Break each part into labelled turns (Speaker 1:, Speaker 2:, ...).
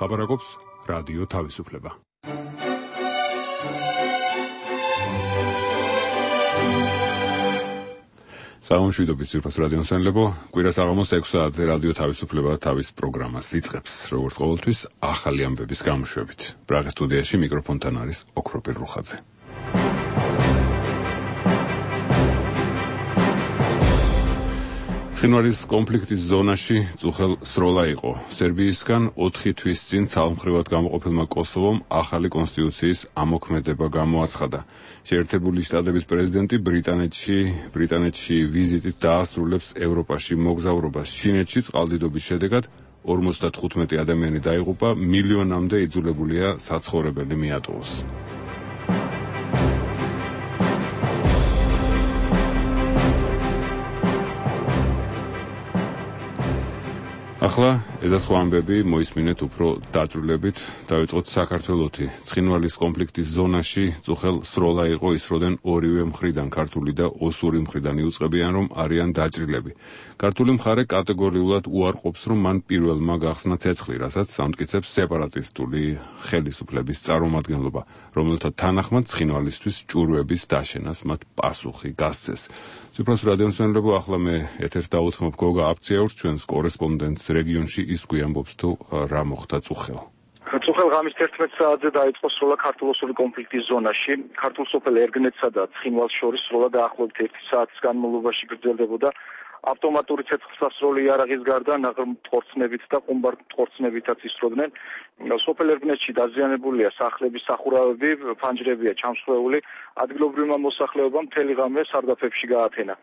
Speaker 1: ლაპარაკობს რადიო თავისუფლება. სამშვიდობის ძირფას რადიო მსმენელებო, კვირას აღამოს 6 საათზე რადიო თავისუფლება თავის პროგრამას იწყებს, როგორც ყოველთვის ახალი ამბების გამოშვებით. პრაღის სტუდიაში მიკროფონთან არის ოქროპირ რუხაძე. ცხინვალის კონფლიქტის ზონაში წუხელ სროლა იყო. სერბიისგან 4 თვის წინ ცალმხრივად გამოყოფილმა კოსოვომ ახალი კონსტიტუციის ამოქმედება გამოაცხადა. შეერთებული შტატების პრეზიდენტი ბრიტანეთში ვიზიტით დაასრულებს ევროპაში მოგზაურობას. ჩინეთში წყალდიდობის შედეგად 55 ადამიანი დაიღუპა, მილიონამდე იძულებულია საცხოვრებელი მიატოვოს. ახლა ეზა სხვა ამბები მოისმინეთ უფრო დაწვრილებით. დავიწყოთ საქართველოთი. ცხინვალის კონფლიქტის ზონაში წუხელ სროლა იყო, ისროდნენ ორივე მხრიდან, ქართული და ოსური მხრიდან იუწყებიან, რომ არიან დაჭრილები. ქართული მხარე კატეგორიულად უარყოფს, რომ მან პირველმა გახსნა ცეცხლი, რასაც ამტკიცებს სეპარატისტული ხელისუფლების წარმომადგენლობა, რომელთა თანახმად ცხინვალისთვის ჭურვების დაშენას მათ პასუხი გასცეს. Ციფროს რადიო მსმენელებო, ახლა მე ეთერს დავუთმობ გოგა აფციაურს, ჩვენს კორესპონდენტს რეგიონში, ის გვიამბობს თუ რა მოხდა წუხელ.
Speaker 2: წუხელ ღამის 11 საათზე დაიწყო სროლა ქართულ-ოსური კონფლიქტის ზონაში. ქართულ სოფელ ერგნეთსა და ცხინვალს შორის სროლა დაახლოებით 1 საათის განმავლობაში გრძელდებოდა. ავტომატური ცეცხლსასროლი იარაღის გარდა ნაღრმ-ტყორცნებით და ყუმბარ-ტყორცნებითაც ისროდნენ. სოფელ ერგნეთში დაზიანებულია სახლების სახურავები, ფანჯრებია ჩამსხვრეული, ადგილობრივმა მოსახლეობამ მთელი ღამე სარდაფებში გაათენა.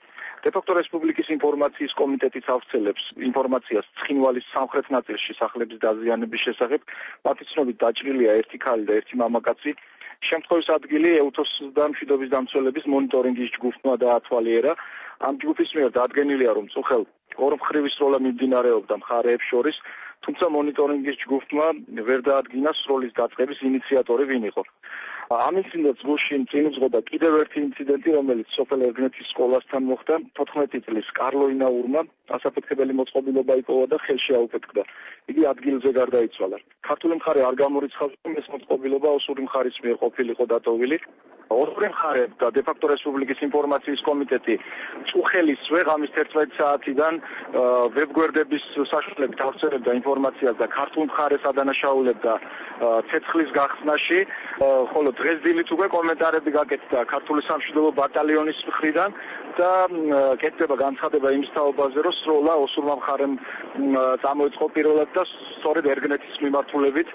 Speaker 2: დე-ფაქტო რესპუბლიკის ინფორმაციის კომიტეტიც ავრცელებს ინფორმაციას ცხინვალის სამხრეთ ნაწილში სახლების დაზიანების შესახებ. მათი ცნობით დაჭრილია 1 ქალი და 1 მამაკაცი. შემთხვევის ადგილი ეუთოს და მშვიდობის დამცველების მონიტორინგის ჯგუფმა დაათვალიერა. ამ ჯგუფის მიერ დადგენილია, რომ წუხელ ორმხრივი სროლა მიმდინარეობდა მხარეებს შორის, თუმცა მონიტორინგის ჯგუფმა ვერ დაადგინა სროლის დაწყების ინიციატორი ვინ იყო. ამ ინციდენტს გუშინ წინ უძღოდა კიდევ ერთი ინციდენტი, რომელიც სოფელ ერგნეთის სკოლასთან მოხდა. 14 წლის კარლო ინაურმა ასაფეთქებელი მოწყობილობა იპოვა და ხელში აუფეთქდა. იგი ადგილზე გარდაიცვალა. ქართული მხარე არ გამორიცხავს, რომ ეს მოწყობილობა ოსური მხარის მიერ ყოფილიყო დატოვილი. ოსური მხარე და დე-ფაქტო რესპუბლიკის ინფორმაციის კომიტეტი წუხელისვე ღამის 11 საათიდან ვებგვერდების საშუალებით ავრცელებდა ინფორმაციას და ქართულ მხარეს ადანაშაულებდა ცეცხლის გახსნაში, ხოლო დღეს დილით უკვე კომენტარები გაკეთდა ქართული სამშვიდობო ბატალიონის მხრიდან და კეთდება განცხადება იმის თაობაზე, რომ სროლა ოსურმა მხარემ წამოიწყო პირველად და სწორედ ერგნეთის მიმართულებით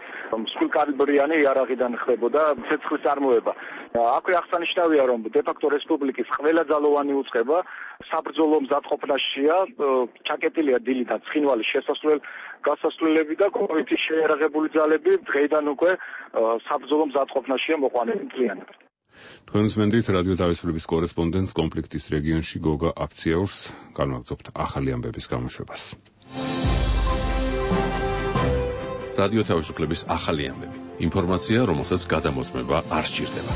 Speaker 2: მსხვილკალიბრიანი იარაღიდან ხდებოდა ცეცხლის წარმოება. აქვე აღსანიშნავია, რომ დე-ფაქტო რესპუბლიკის ყველა ძალოვანი უწყება საბრძოლო მზადყოფნაშია, ჩაკეტილია დილიდან ცხინვალის გასასვლელები და კოვითი შეიარაღებული ძალები დღეიდან უკვე საბრძოლო მზადყოფნაშია მოყვანილი მთლიანად.
Speaker 1: თქვენ უსმენთ რადიო თავისუფლების კორესპონდენტს კონფლიქტის რეგიონში გოგა აფციაურს, განვაგრძობთ ახალი ამბების გამოშვებას.
Speaker 3: რადიო თავისუფლების ახალი ამბები. ინფორმაცია, რომელსაც გადამოწმება არ სჭირდება.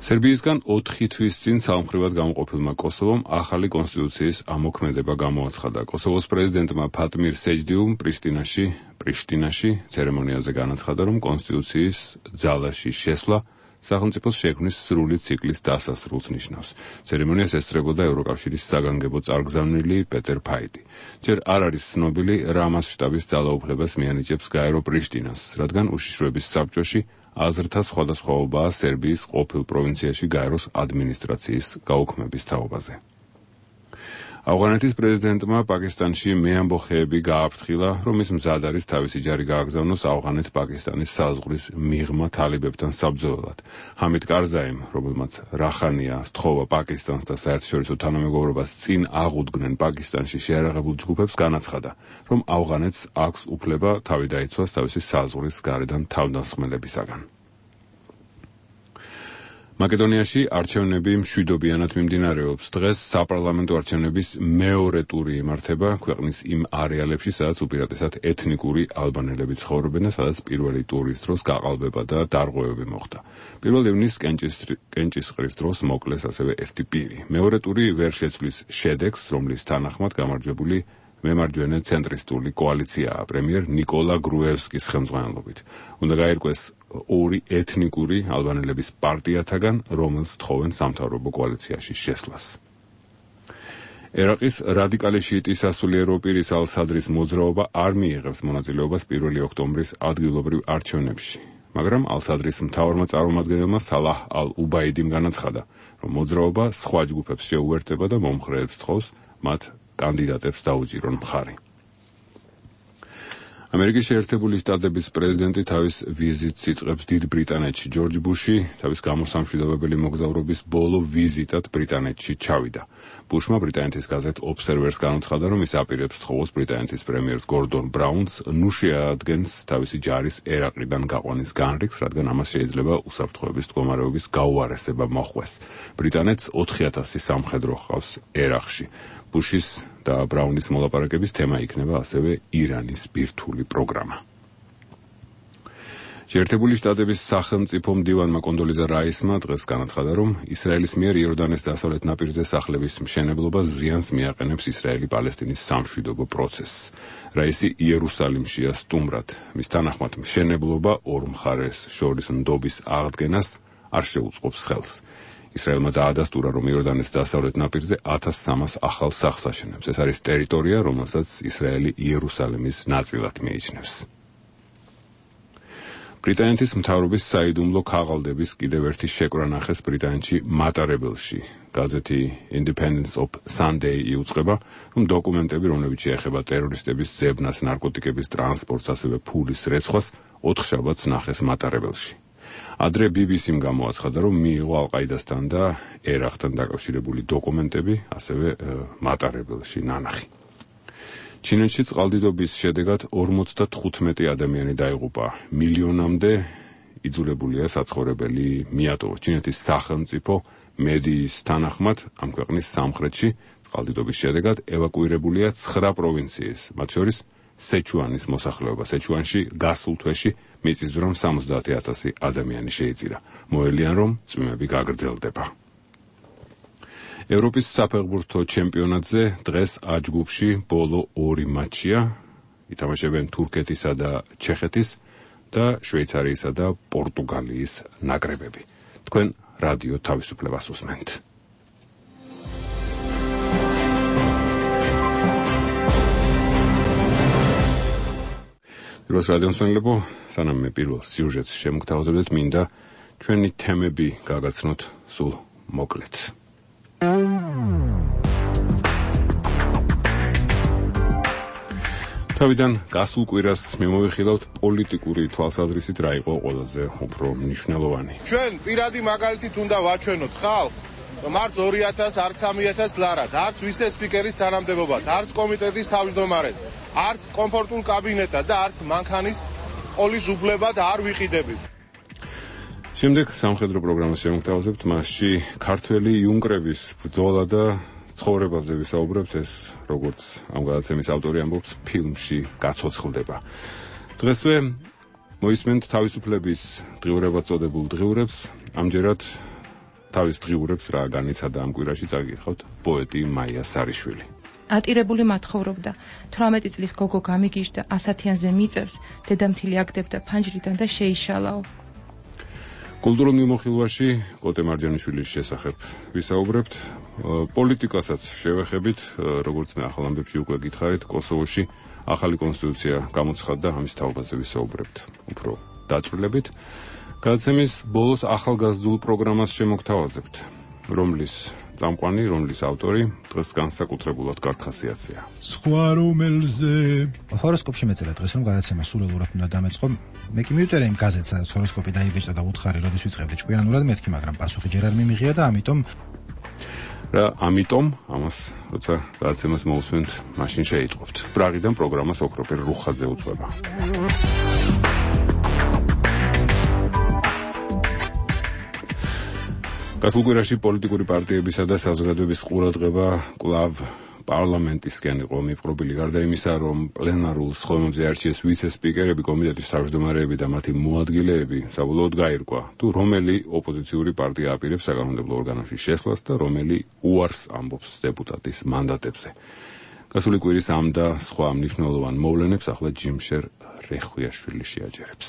Speaker 1: სერბიისგან 4 თვის წინ ცალმხრივად გამოყოფილმა კოსოვომ ახალი კონსტიტუციის ამოქმედება გამოაცხადა. კოსოვოს პრეზიდენტმა ფატმირ სეჯდიუმ პრიშტინაში ცერემონიაზე განაცხადა, რომ კონსტიტუციის ძალაში შესვლა სახელმწიფოს შექმნის სრული ციკლის დასასრულს ნიშნავს. ცერემონიას ესწრებოდა ევროკავშირის საგანგებო წარგზავნილი პეტერ ფაიტი. ჯერ არ არის ცნობილი, რა მასშტაბის ძალაუფლებას მიანიჭებს გაერო პრიშტინას, რადგან უშიშროების საბჭოში აზრთა სხვადასხვაობაა სერბიის ყოფილ პროვინციაში გაეროს ადმინისტრაციის გაუქმების თაობაზე. ავღანეთის პრეზიდენტმა პაკისტანში მეამბოხეები გააფრთხილა, რომ ის მზად არის თავისი ჯარი გააგზავნოს ავღანეთ-პაკისტანის საზღვრის მიღმა თალებებთან საბრძოლველად. ჰამიდ კარზაიმ, რომელმაც რახანია სთხოვა პაკისტანს და საერთაშორისო თანამეგობრობას წინ აღუდგნენ პაკისტანში შეიარაღებულ ჯგუფებს, განაცხადა, რომ ავღანეთს აქვს უფლება თავი დაიცვას თავისი საზღვრის გარედან თავდასხმელებისაგან. მაკედონიაში არჩევნები მშვიდობიანად მიმდინარეობს. დღეს საპარლამენტო არჩევნების მეორე ტური იმართება ქვეყნის იმ არეალებში, სადაც უპირატესად ეთნიკური ალბანელები ცხოვრობენ და სადაც პირველი ტურის დროს გაყალბება და დარღვევები მოხდა. 1 ივნისს კენჭისყრის დროს მოკლეს ასევე ერთი პირი. მეორე ტური ვერ შეცვლის შედეგს, რომლის თანახმად გამარჯვებული მემარჯვენე ცენტრისტული კოალიციაა პრემიერ ნიკოლა გრუევსკის ხელმძღვანელობით. უნდა გაირკვეს ორი ეთნიკური ალბანელების პარტიათაგან, რომელს თხოვენ სამთავრობო კოალიციაში შესვლას. ერაყის რადიკალი შიიტის სასულიერო პირის ალ-სადრის მოძრაობა არ მიიღებს მონაწილეობას 1 ოქტომბრის ადგილობრივ არჩევნებში, მაგრამ ალ-სადრის მთავარმა წარმომადგენელმა სალაჰ ალ-უბაიდიმ განაცხადა, რომ მოძრაობა სხვა ჯგუფებს შეუერთება და მომხრეებს თხოვს მათ კანდიდატებს დაუჭირონ მხარი. ამერიკის შეერთებული შტატების პრეზიდენტი თავის ვიზიტს იწყებს დიდ ბრიტანეთში. ჯორჯ ბუში თავის გამოსამშვიდობებელი მოგზაურობის ბოლო ვიზიტად ბრიტანეთში ჩავიდა. ბუშმა ბრიტანეთის გაზეთ ობსერვერს განაცხადა, რომ ის აპირებს თხოვოს ბრიტანეთის პრემიერს გორდონ ბრაუნს ნუ შეადგენს თავისი ჯარის ერაყიდან გაყვანის განრიგს, რადგან ამას შეიძლება უსაფრთხოების მდგომარეობის გაუარესება მოხვეს. ბრიტანეთს 4000 სამხედრო ჰყავს ერაყში. ბუშის და ბრაუნის მოლაპარაკების თემა იქნება ასევე ირანის ბირთვული პროგრამა. შეერთებული შტატების სახელმწიფო მდივანმა კონდოლიზა რაისმა დღეს განაცხადა, რომ ისრაელის მიერ იორდანეს დასავლეთ ნაპირზე სახლების მშენებლობა ზიანს მიაყენებს ისრაელი-პალესტინის სამშვიდობო პროცესს. რაისი იერუსალიმშია სტუმრად. მის თანახმად მშენებლობა ორ მხარეს შორის ნდობის აღდგენას არ შეუწყობს ხელს. ისრაელმა დაადასტურა, რომ იორდანეს დასავლეთ ნაპირზე 1300 ახალ სახლს აშენებს. ეს არის ტერიტორია, რომელსაც ისრაელი იერუსალიმის ნაწილად მიიჩნევს. ბრიტანეთის მთავრობის საიდუმლო ქაღალდების კიდევ ერთი შეკვრა ნახეს ბრიტანეთში მატარებელში. გაზეთი Independence of Sunday იუწყება, რომ დოკუმენტები, რომლებიც შეეხება ტერორისტების ძებნას, ნარკოტიკების ტრანსპორტს, ასევე ფულის რეცხვას, 4 შაბათს ნახეს მატარებელში. ადრე BBC-მ გამოაცხადა, რომ მიიღო ალ-ყაიდასთან და ერაყთან დაკავშირებული დოკუმენტები, ასევე მატარებელში ნანახი. ჩინეთში წყალდიდობის შედეგად 55 ადამიანი დაიღუპა. მილიონამდე იძულებულია საცხოვრებელი მიატოვოს. ჩინეთის სახელმწიფო მედიის თანახმად ამ ქვეყნის სამხრეთში წყალდიდობის შედეგად ევაკუირებულია 9 პროვინციის, მათ შორის სეჩუანის მოსახლეობა. სეჩუანში გასულ თვეში მიწისძვრამ 70,000 ადამიანი შეიწირა. მოელიან, რომ წვიმები გაგრძელდება. ევროპის საფეხბურთო ჩემპიონატზე დღეს A ჯგუფში ბოლო 2 მატჩია. ითამაშებენ თურქეთისა და ჩეხეთის და შვეიცარიისა და პორტუგალიის ნაკრებები. თქვენ რადიო თავისუფლებას უსმენთ. პირველ რადიომსმენელებო, სანამ მე პირველ სიუჟეტს შემოგთავაზებდეთ, მინდა ჩვენი თემები გაგაცნოთ სულ მოკლედ. თავიდან გასულ კვირას მიმოვიხილავთ პოლიტიკური თვალსაზრისით რა იყო ყველაზე უფრო მნიშვნელოვანი.
Speaker 4: ჩვენ პირადი მაგალითით უნდა ვაჩვენოთ ხალხს, რომ არც 2000, არც 3000 ლარად, არც ვიცე-სპიკერის თანამდებობად, არც კომიტეტის თავმჯდომარედ, არც კომფორტულ კაბინეტად და არც მანქანის ყოლის უფლებად არ ვიყიდებით.
Speaker 1: შემდეგ სამხედრო პროგრამას შემოგთავაზებთ, მასში ქართველი იუნკრების ბრძოლა და ცხოვრებაზე ვისაუბრებთ. ეს, როგორც ამ გადაცემის ავტორი ამბობს, ფილმში გაცოცხლდება. დღესვე მოისმენთ თავისუფლების დღიურებად წოდებულ დღიურებს. ამჯერად თავის დღიურებს რა განიცადა ამ კვირაში წაგიკითხავთ პოეტი მაია სარიშვილი.
Speaker 5: ატირებული მათხოვრობდა. 18 წლის გოგო გამიგიჟდა, 100-იანზე მიწევს, დედამთილი აგდებდა ფანჯრიდან და შეიშალაო.
Speaker 1: კულტურულ მიმოხილვაში კოტე მარჯანიშვილის შესახებ ვისაუბრებთ. პოლიტიკასაც შევეხებით, როგორც მე ახალ ამბებში უკვე გითხარით, კოსოვოში ახალი კონსტიტუცია გამოცხადდა, ამის თაობაზე ვისაუბრებთ უფრო დაწვრილებით. გადაცემის ბოლოს ახალგაზრდულ პროგრამას შემოგთავაზებთ, რომლის წამყვანი, რომლის ავტორი დღეს განსაკუთრებულად კარგხასიათია.
Speaker 6: სხვა რომელზე ჰოროსკოპში მეწერა დღეს, რომ გადაცემა სულელურად უნდა დამეწყო. მე კი მივწერე იმ გაზეთს, სადაც ჰოროსკოპი დაიბეჭდა და უთხარი, როდის ვიწყებდი ჭკვიანურად მეთქი, მაგრამ პასუხი ჯერ არ მიმიღია და ამიტომ ამას როცა გადაცემას მოусვენთ, მაშინ შეიტყობთ. პრაღიდან პროგრამას ოქროპერ რუხაძე უძღვება. გასულ კვირაში პოლიტიკური პარტიებისა და საზოგადოების ყურადღება კვლავ პარლამენტისკენ იყო მიპყრობილი. გარდა იმისა, რომ პლენარულ სხდომებზე არჩიეს ვიცე-სპიკერები, კომიტეტის თავმჯდომარეები და მათი მოადგილეები, საბოლოოდ გაირკვა, თუ რომელი ოპოზიციური პარტია აპირებს საკანონმდებლო ორგანოში შესვლას და რომელი უარს ამბობს დეპუტატის მანდატებზე.
Speaker 1: გასული კვირის ამ და სხვა მნიშვნელოვან მოვლენებს ახლა ჯიმშერ რეხვიაშვილი შეაჯერებს.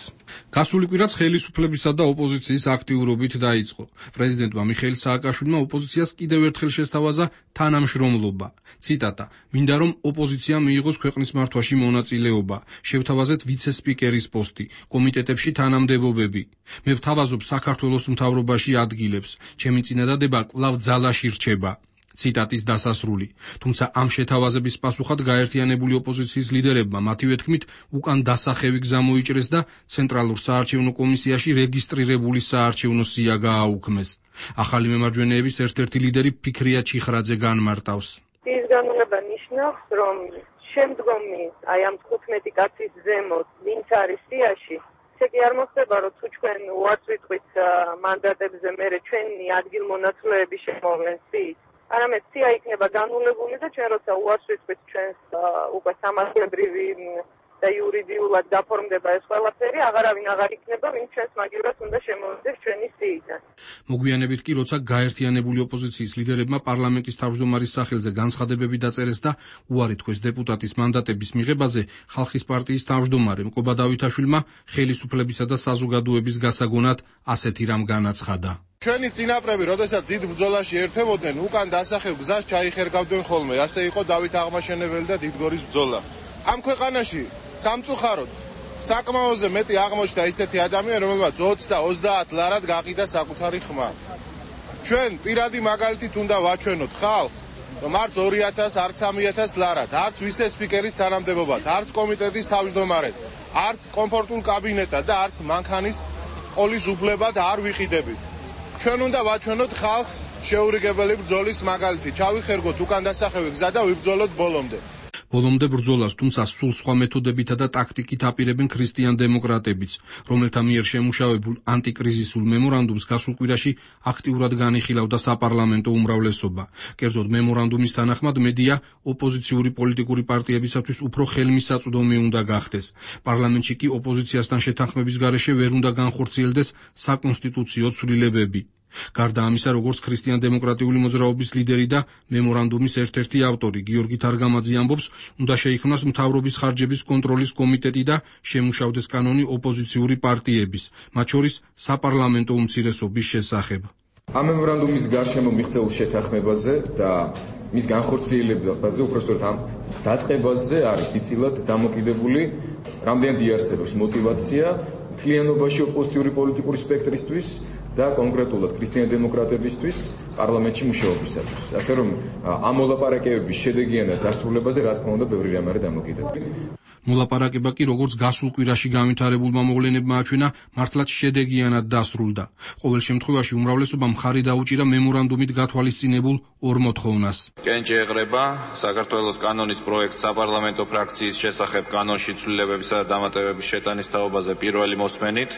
Speaker 7: გასული კვირაც ხელისუფლებისა და ოპოზიციის აქტიურობით დაიწყო. პრეზიდენტმა მიხეილ სააკაშვილმა ოპოზიციას კიდევ ერთხელ შესთავაზა თანამშრომლობა. ციტატა: "მინდა რომ ოპოზიცია მიიღოს ქვეყნის მართვაში მონაწილეობა, შევთავაზეთ ვიცე-სპიკერის პოსტი, კომიტეტებში თანამდებობები. მე ვთავაზობ საქართველოს მთავრობაში ადგილებს. ჩემი წინადადება კვლავ ძალაში რჩება." ციტატის დასასრული. თუმცა ამ შეთავაზების პასუხად გაერთიანებული ოპოზიციის ლიდერებმა მათივე თქმით უკან დასახევი გზა მოიჭრეს და ცენტრალურ საარჩევნო კომისიაში რეგისტრირებული საარჩევნო სია გააუქმეს. ახალი მემარჯვენეების ერთ-ერთი ლიდერი ფიქრია ჩიხრაძე განმარტავს.
Speaker 8: ის განმარტება ნიშნავს, რომ შემდგომი აი ამ 15 კაცის ზემოთ ვინც არის სიაში, ესე კი არ მოხდება, რომ თუ ჩვენ უარს ვიტყვით მანდატებზე, მერე ჩვენი ადგილმონაცვლეები შემოვლენ სიით. არამედ სია იქნება განულებული და ჩვენ როცა უარს ვიტყვით ჩვენს უკვე სამართლებრივი და იურიდიულად გაფორმდება ეს ყველაფერი, აღარავინ აღარ იქნება, ვინც ჩვენს მაგივრად უნდა შემოვიდეს ჩვენი სიიდან.
Speaker 7: მოგვიანებით კი როცა გაერთიანებული ოპოზიციის ლიდერებმა პარლამენტის თავმჯდომარის სახელზე განცხადებები დაწერეს და უარი თქვეს დეპუტატის მანდატების მიღებაზე, ხალხის პარტიის თავმჯდომარემ კობა დავითაშვილმა ხელისუფლებისა და საზოგადოების გასაგონად ასეთი რამ განაცხადა.
Speaker 4: ჩვენი წინაპრები, როდესაც დიდ ბრძოლაში ერთვებოდნენ, უკან დასახევ გზას ჩაიხერგავდნენ ხოლმე. ასე იყო დავით აღმაშენებელი და დიდგორის ბრძოლა. ამ ქვეყანაში სამწუხაროდ საკმაოზე მეტი აღმოჩნდა ისეთი ადამიანი, რომელმაც 20 და 30 ლარად გაყიდა საკუთარი ხმა. ჩვენ პირადი მაგალითით უნდა ვაჩვენოთ ხალხს, რომ არც 2000, არც 3000 ლარად, არც ვიცე-სპიკერის თანამდებობად, არც კომიტეტის თავმჯდომარედ, არც კომფორტულ კაბინეტად და არც მანქანის ყოლის უფლებად არ ვიყიდებით. ჩვენ უნდა ვაჩვენოთ ხალხს შეურიგებელი ბრძოლის მაგალითი. ჩავიხერგოთ უკან დასახევი გზა და ვიბრძოლოთ ბოლომდე.
Speaker 7: ბოლომდე ბრძოლას, თუმცა სულ სხვა მეთოდებითა და ტაქტიკით აპირებენ ქრისტიან დემოკრატებიც, რომელთა მიერ შემუშავებულ ანტიკრიზისულ მემორანდუმს გასულ კვირაში აქტიურად განიხილავდა საპარლამენტო უმრავლესობა. კერძოდ მემორანდუმის თანახმად მედია ოპოზიციური პოლიტიკური პარტიებისათვის უფრო ხელმისაწვდომი უნდა გახდეს. პარლამენტში კი ოპოზიციასთან შეთანხმების გარეშე ვერ უნდა განხორციელდეს საკონსტიტუციო ცვლილებები. გარდა ამისა, როგორც ქრისტიან-დემოკრატიული მოძრაობის ლიდერი და მემორანდუმის ერთ-ერთი ავტორი გიორგი თარგამაძე ამბობს, უნდა შეიქმნას მთავრობის ხარჯების კონტროლის კომიტეტი და შემუშავდეს კანონი ოპოზიციური პარტიების, მათ შორის საპარლამენტო უმცირესობის შესახებ.
Speaker 9: ამ მემორანდუმის გარშემო მიღწეულ შეთანხმებაზე და მის განხორციელებაზე, უпростоრად ამ დაწყებაზე არის დიდწილად დამოკიდებული რამდენად იარსებობს мотивация მთლიანობაში ოპოზიციური პოლიტიკური სპექტრისთვის და კონკრეტულად ქრისტიან-დემოკრატებისთვის პარლამენტში მუშაობისათვის. ასე რომ ამ მოლაპარაკებების შედეგიანად დასრულებაზე რა თქმა უნდა ბევრი რამ არის დამოკიდებული.
Speaker 7: მოლაპარაკება კი როგორც გასულ კვირაში განვითარებულმა მოვლენებმა აჩვენა, მართლაც შედეგიანად დასრულდა. ყოველ შემთხვევაში უმრავლესობამ მხარი დაუჭირა მემორანდუმით გათვალისწინებულ ორ მოთხოვნას.
Speaker 10: კენჭი ეღრება საქართველოს კანონის პროექტს საპარლამენტო ფრაქციის შესახებ კანონში ცვლილებებისა და დამატებების შეტანის თაობაზე პირველი მოსმენით.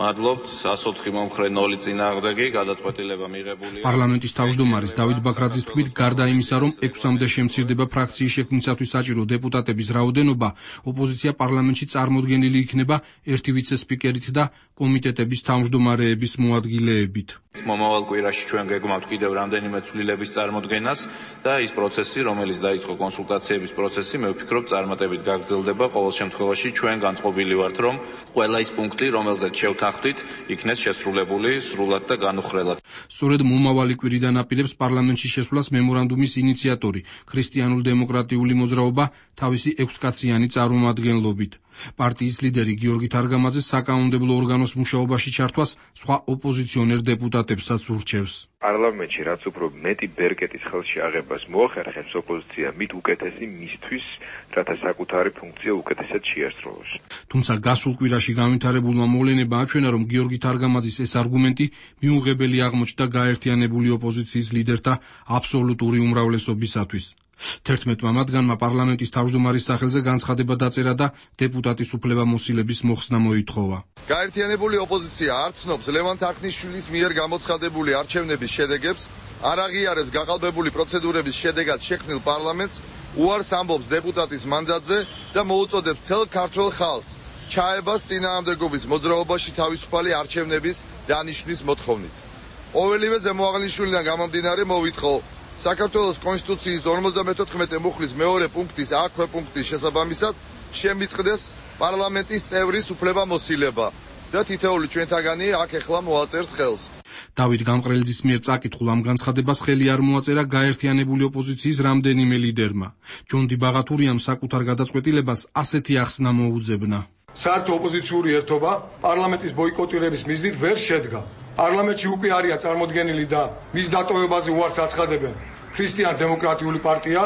Speaker 10: მადლობთ, 104 მომხრე 0 წინააღმდეგი, გადაწყვეტილება მიღებულია.
Speaker 7: პარლამენტის თავმჯდომარის დავით ბაქრაძის თქმით, გარდა იმისა, რომ 6-მდე შემცირდება ფრაქციის შექმნისათვის საჭირო დეპუტატების რაოდენობა, ოპოზიცია პარლამენტში წარმოდგენილი იქნება ერთი ვიცე-სპიკერით და კომიტეტების თავმჯდომარეების მოადგილეებით.
Speaker 10: მომავალ კვირაში ჩვენ გეგმავთ კიდევ რამდენიმე ცვლილების წარმოდგენას და ის პროცესი, რომელიც დაიწყო კონსულტაციების პროცესი, მე ვფიქრობ, წარმატებით გაგრძელდება. ყოველ შემთხვევაში ჩვენ განწყობილი ვართ, რომ ყველა ის პუნქტი, რომელზეც შევთანხმდით, იქნეს შესრულებული სრულად და განუხრელად.
Speaker 7: სწორედ მომავალი კვირიდან აპირებს პარლამენტში შესვლას მემორანდუმის ინიციატორი, ქრისტიანულ-დემოკრატიული მოძრაობა თავისი 6-კაციანი წარმომადგენლობით. პარტიის ლიდერი გიორგი თარგამაძე საკანონმდებლო ორგანოს მუშაობაში ჩართვას სხვა ოპოზიციონერ დეპუტატებსაც ურჩევს.
Speaker 11: პარლამენტში რაც უფრო მეტი ბერკეტის ხელში აღებას მოახერხებს ოპოზიცია, მით უკეთესი მისთვის, რათა საკუთარი ფუნქცია უკეთესად შეასრულოს.
Speaker 7: თუმცა გასულ კვირაში განვითარებულმა მოვლენებმა აჩვენა, რომ გიორგი თარგამაძის ეს არგუმენტი მიუღებელი აღმოჩნდა გაერთიანებული ოპოზიციის ლიდერთა აბსოლუტური უმრავლესობისათვის. 11 მათგანმა პარლამენტის თავმჯდომარის სახელზე განცხადება დაწერა და დეპუტატის უფლებამოსილების მოხსნა მოითხოვა.
Speaker 4: გაერთიანებული ოპოზიცია არ ცნობს ლევან თარხნიშვილის მიერ გამოცხადებული არჩევნების შედეგებს, არ აღიარებს გაყალბებული პროცედურების შედეგად შექმნილ პარლამენტს, უარს ამბობს დეპუტატის მანდატზე და მოუწოდებს მთელ ქართველ ხალხს ჩაებას წინააღმდეგობის მოძრაობაში თავისუფალი არჩევნების დანიშვნის მოთხოვნით. ყოველივე ზემოაღნიშნულიდან გამომდინარე მოვითხოვ საქართველოს კონსტიტუციის 54 მუხლის მეორე პუნქტის აქვე პუნქტის შესაბამისად შემიწყდეს პარლამენტის წევრის უფლებამოსილება და თითოეული ჩვენთაგანი აქ ეხლა მოაწერს ხელს.
Speaker 7: დავით გამყრელიძის მიერ წაკითხულ ამ განცხადებას ხელი არ მოაწერა გაერთიანებული ოპოზიციის რამდენიმე ლიდერმა. ჯონდი ბაღათურიამ საკუთარ გადაწყვეტილებას ასეთი ახსნა მოუძებნა.
Speaker 12: საერთო ოპოზიციური ერთობა პარლამენტის ბოიკოტირების მიზნით ვერ შედგა. პარლამენტში უკვე არიან წარმოდგენილი და მის დატოვებაზე უარს აცხადებენ ქრისტიან დემოკრატიული პარტია,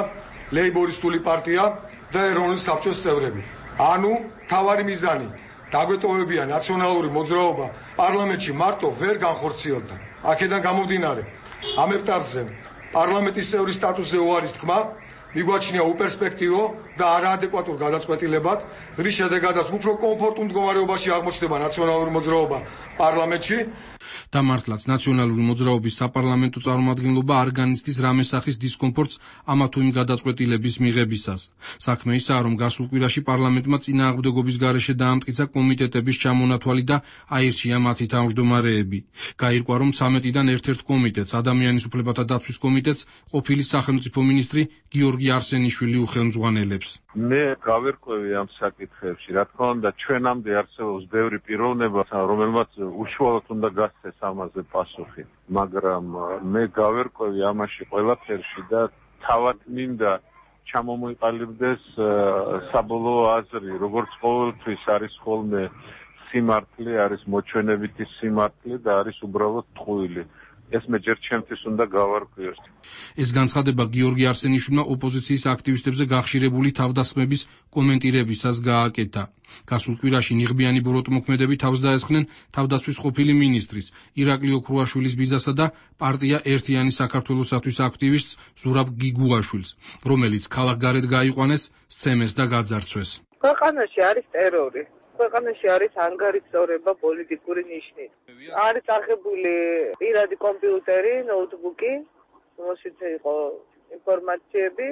Speaker 12: ლეიბორისტული პარტია და ეროვნული საბჭოს წევრები. ანუ თავარი მიზანი დაგვეტოვებია ნაციონალური მოძრაობა პარლამენტში მარტო ვერ განხორციელდა. აქედან გამომდინარე, ამ ეტაპზე პარლამენტის წევრის სტატუსზე უარის თქმა მიგვაჩნია უპერსპექტივო და არაადეკვატურ გადაწყვეტილებად, რის შედეგადაც უფრო კომფორტულ მდგომარეობაში აღმოჩნდება ნაციონალური მოძრაობა პარლამენტში.
Speaker 7: და მართლაც ნაციონალური მოძრაობის საპარლამენტო წარმომადგენლობა არ განიცდის რამე სახის დისკომფორტს ამა თუ იმ გადაწყვეტილების მიღებისას. საქმე ისაა, რომ გასულ კვირაში პარლამენტმა წინააღმდეგობის გარეშე დაამტკიცა კომიტეტების ჩამონათვალი და აირჩია მათი თავმჯდომარეები. გაირკვა, რომ 13-დან ერთ-ერთ კომიტეტს, ადამიანის უფლებათა დაცვის კომიტეტს, ყოფილი სახელმწიფო მინისტრი გიორგი არსენიშვილი უხელმძღვანელებს.
Speaker 13: მე გავერკვევი ამ საკითხებში, რა თქმა უნდა, ჩვენამდე არსებობს ბევრი პიროვნება, რომელმაც უშუალოდ უნდა გასცეს ამაზე პასუხი, მაგრამ მე გავერკვევი ამაში ყველაფერში და თავად მინდა ჩამომიყალიბდეს საბოლოო აზრი, როგორც ყოველთვის არის ხოლმე სიმართლე, არის მოჩვენებითი სიმართლე და არის უბრალოდ ტყუილი. ეს მე ჯერ ჩემთვის უნდა გავარკვიოს.
Speaker 7: ეს განცხადება გიორგი არსენიშვილმა ოპოზიციის აქტივისტებზე გახშირებული თავდასხმების კომენტირებისას გააკეთა. გასულ კვირაში ნიღბიანი ბოროტმოქმედები თავს დაესხნენ თავდაცვის ყოფილი მინისტრის ირაკლი ოქრუაშვილის ბიძასა და პარტია ერთიანი საქართველოსათვის აქტივისტს ზურაბ გიგუაშვილს, რომელიც ქალაქგარეთ გაიყვანეს, სცემეს და გაძარცვეს.
Speaker 8: ქვეყანაში არის ტერორი. ქვეყანაში არის ანგარიშწორება პოლიტიკური ნიშნით. არის აღებული პირადი კომპიუტერი, ნოუთბუქი, რომელშიც იყო ინფორმაციები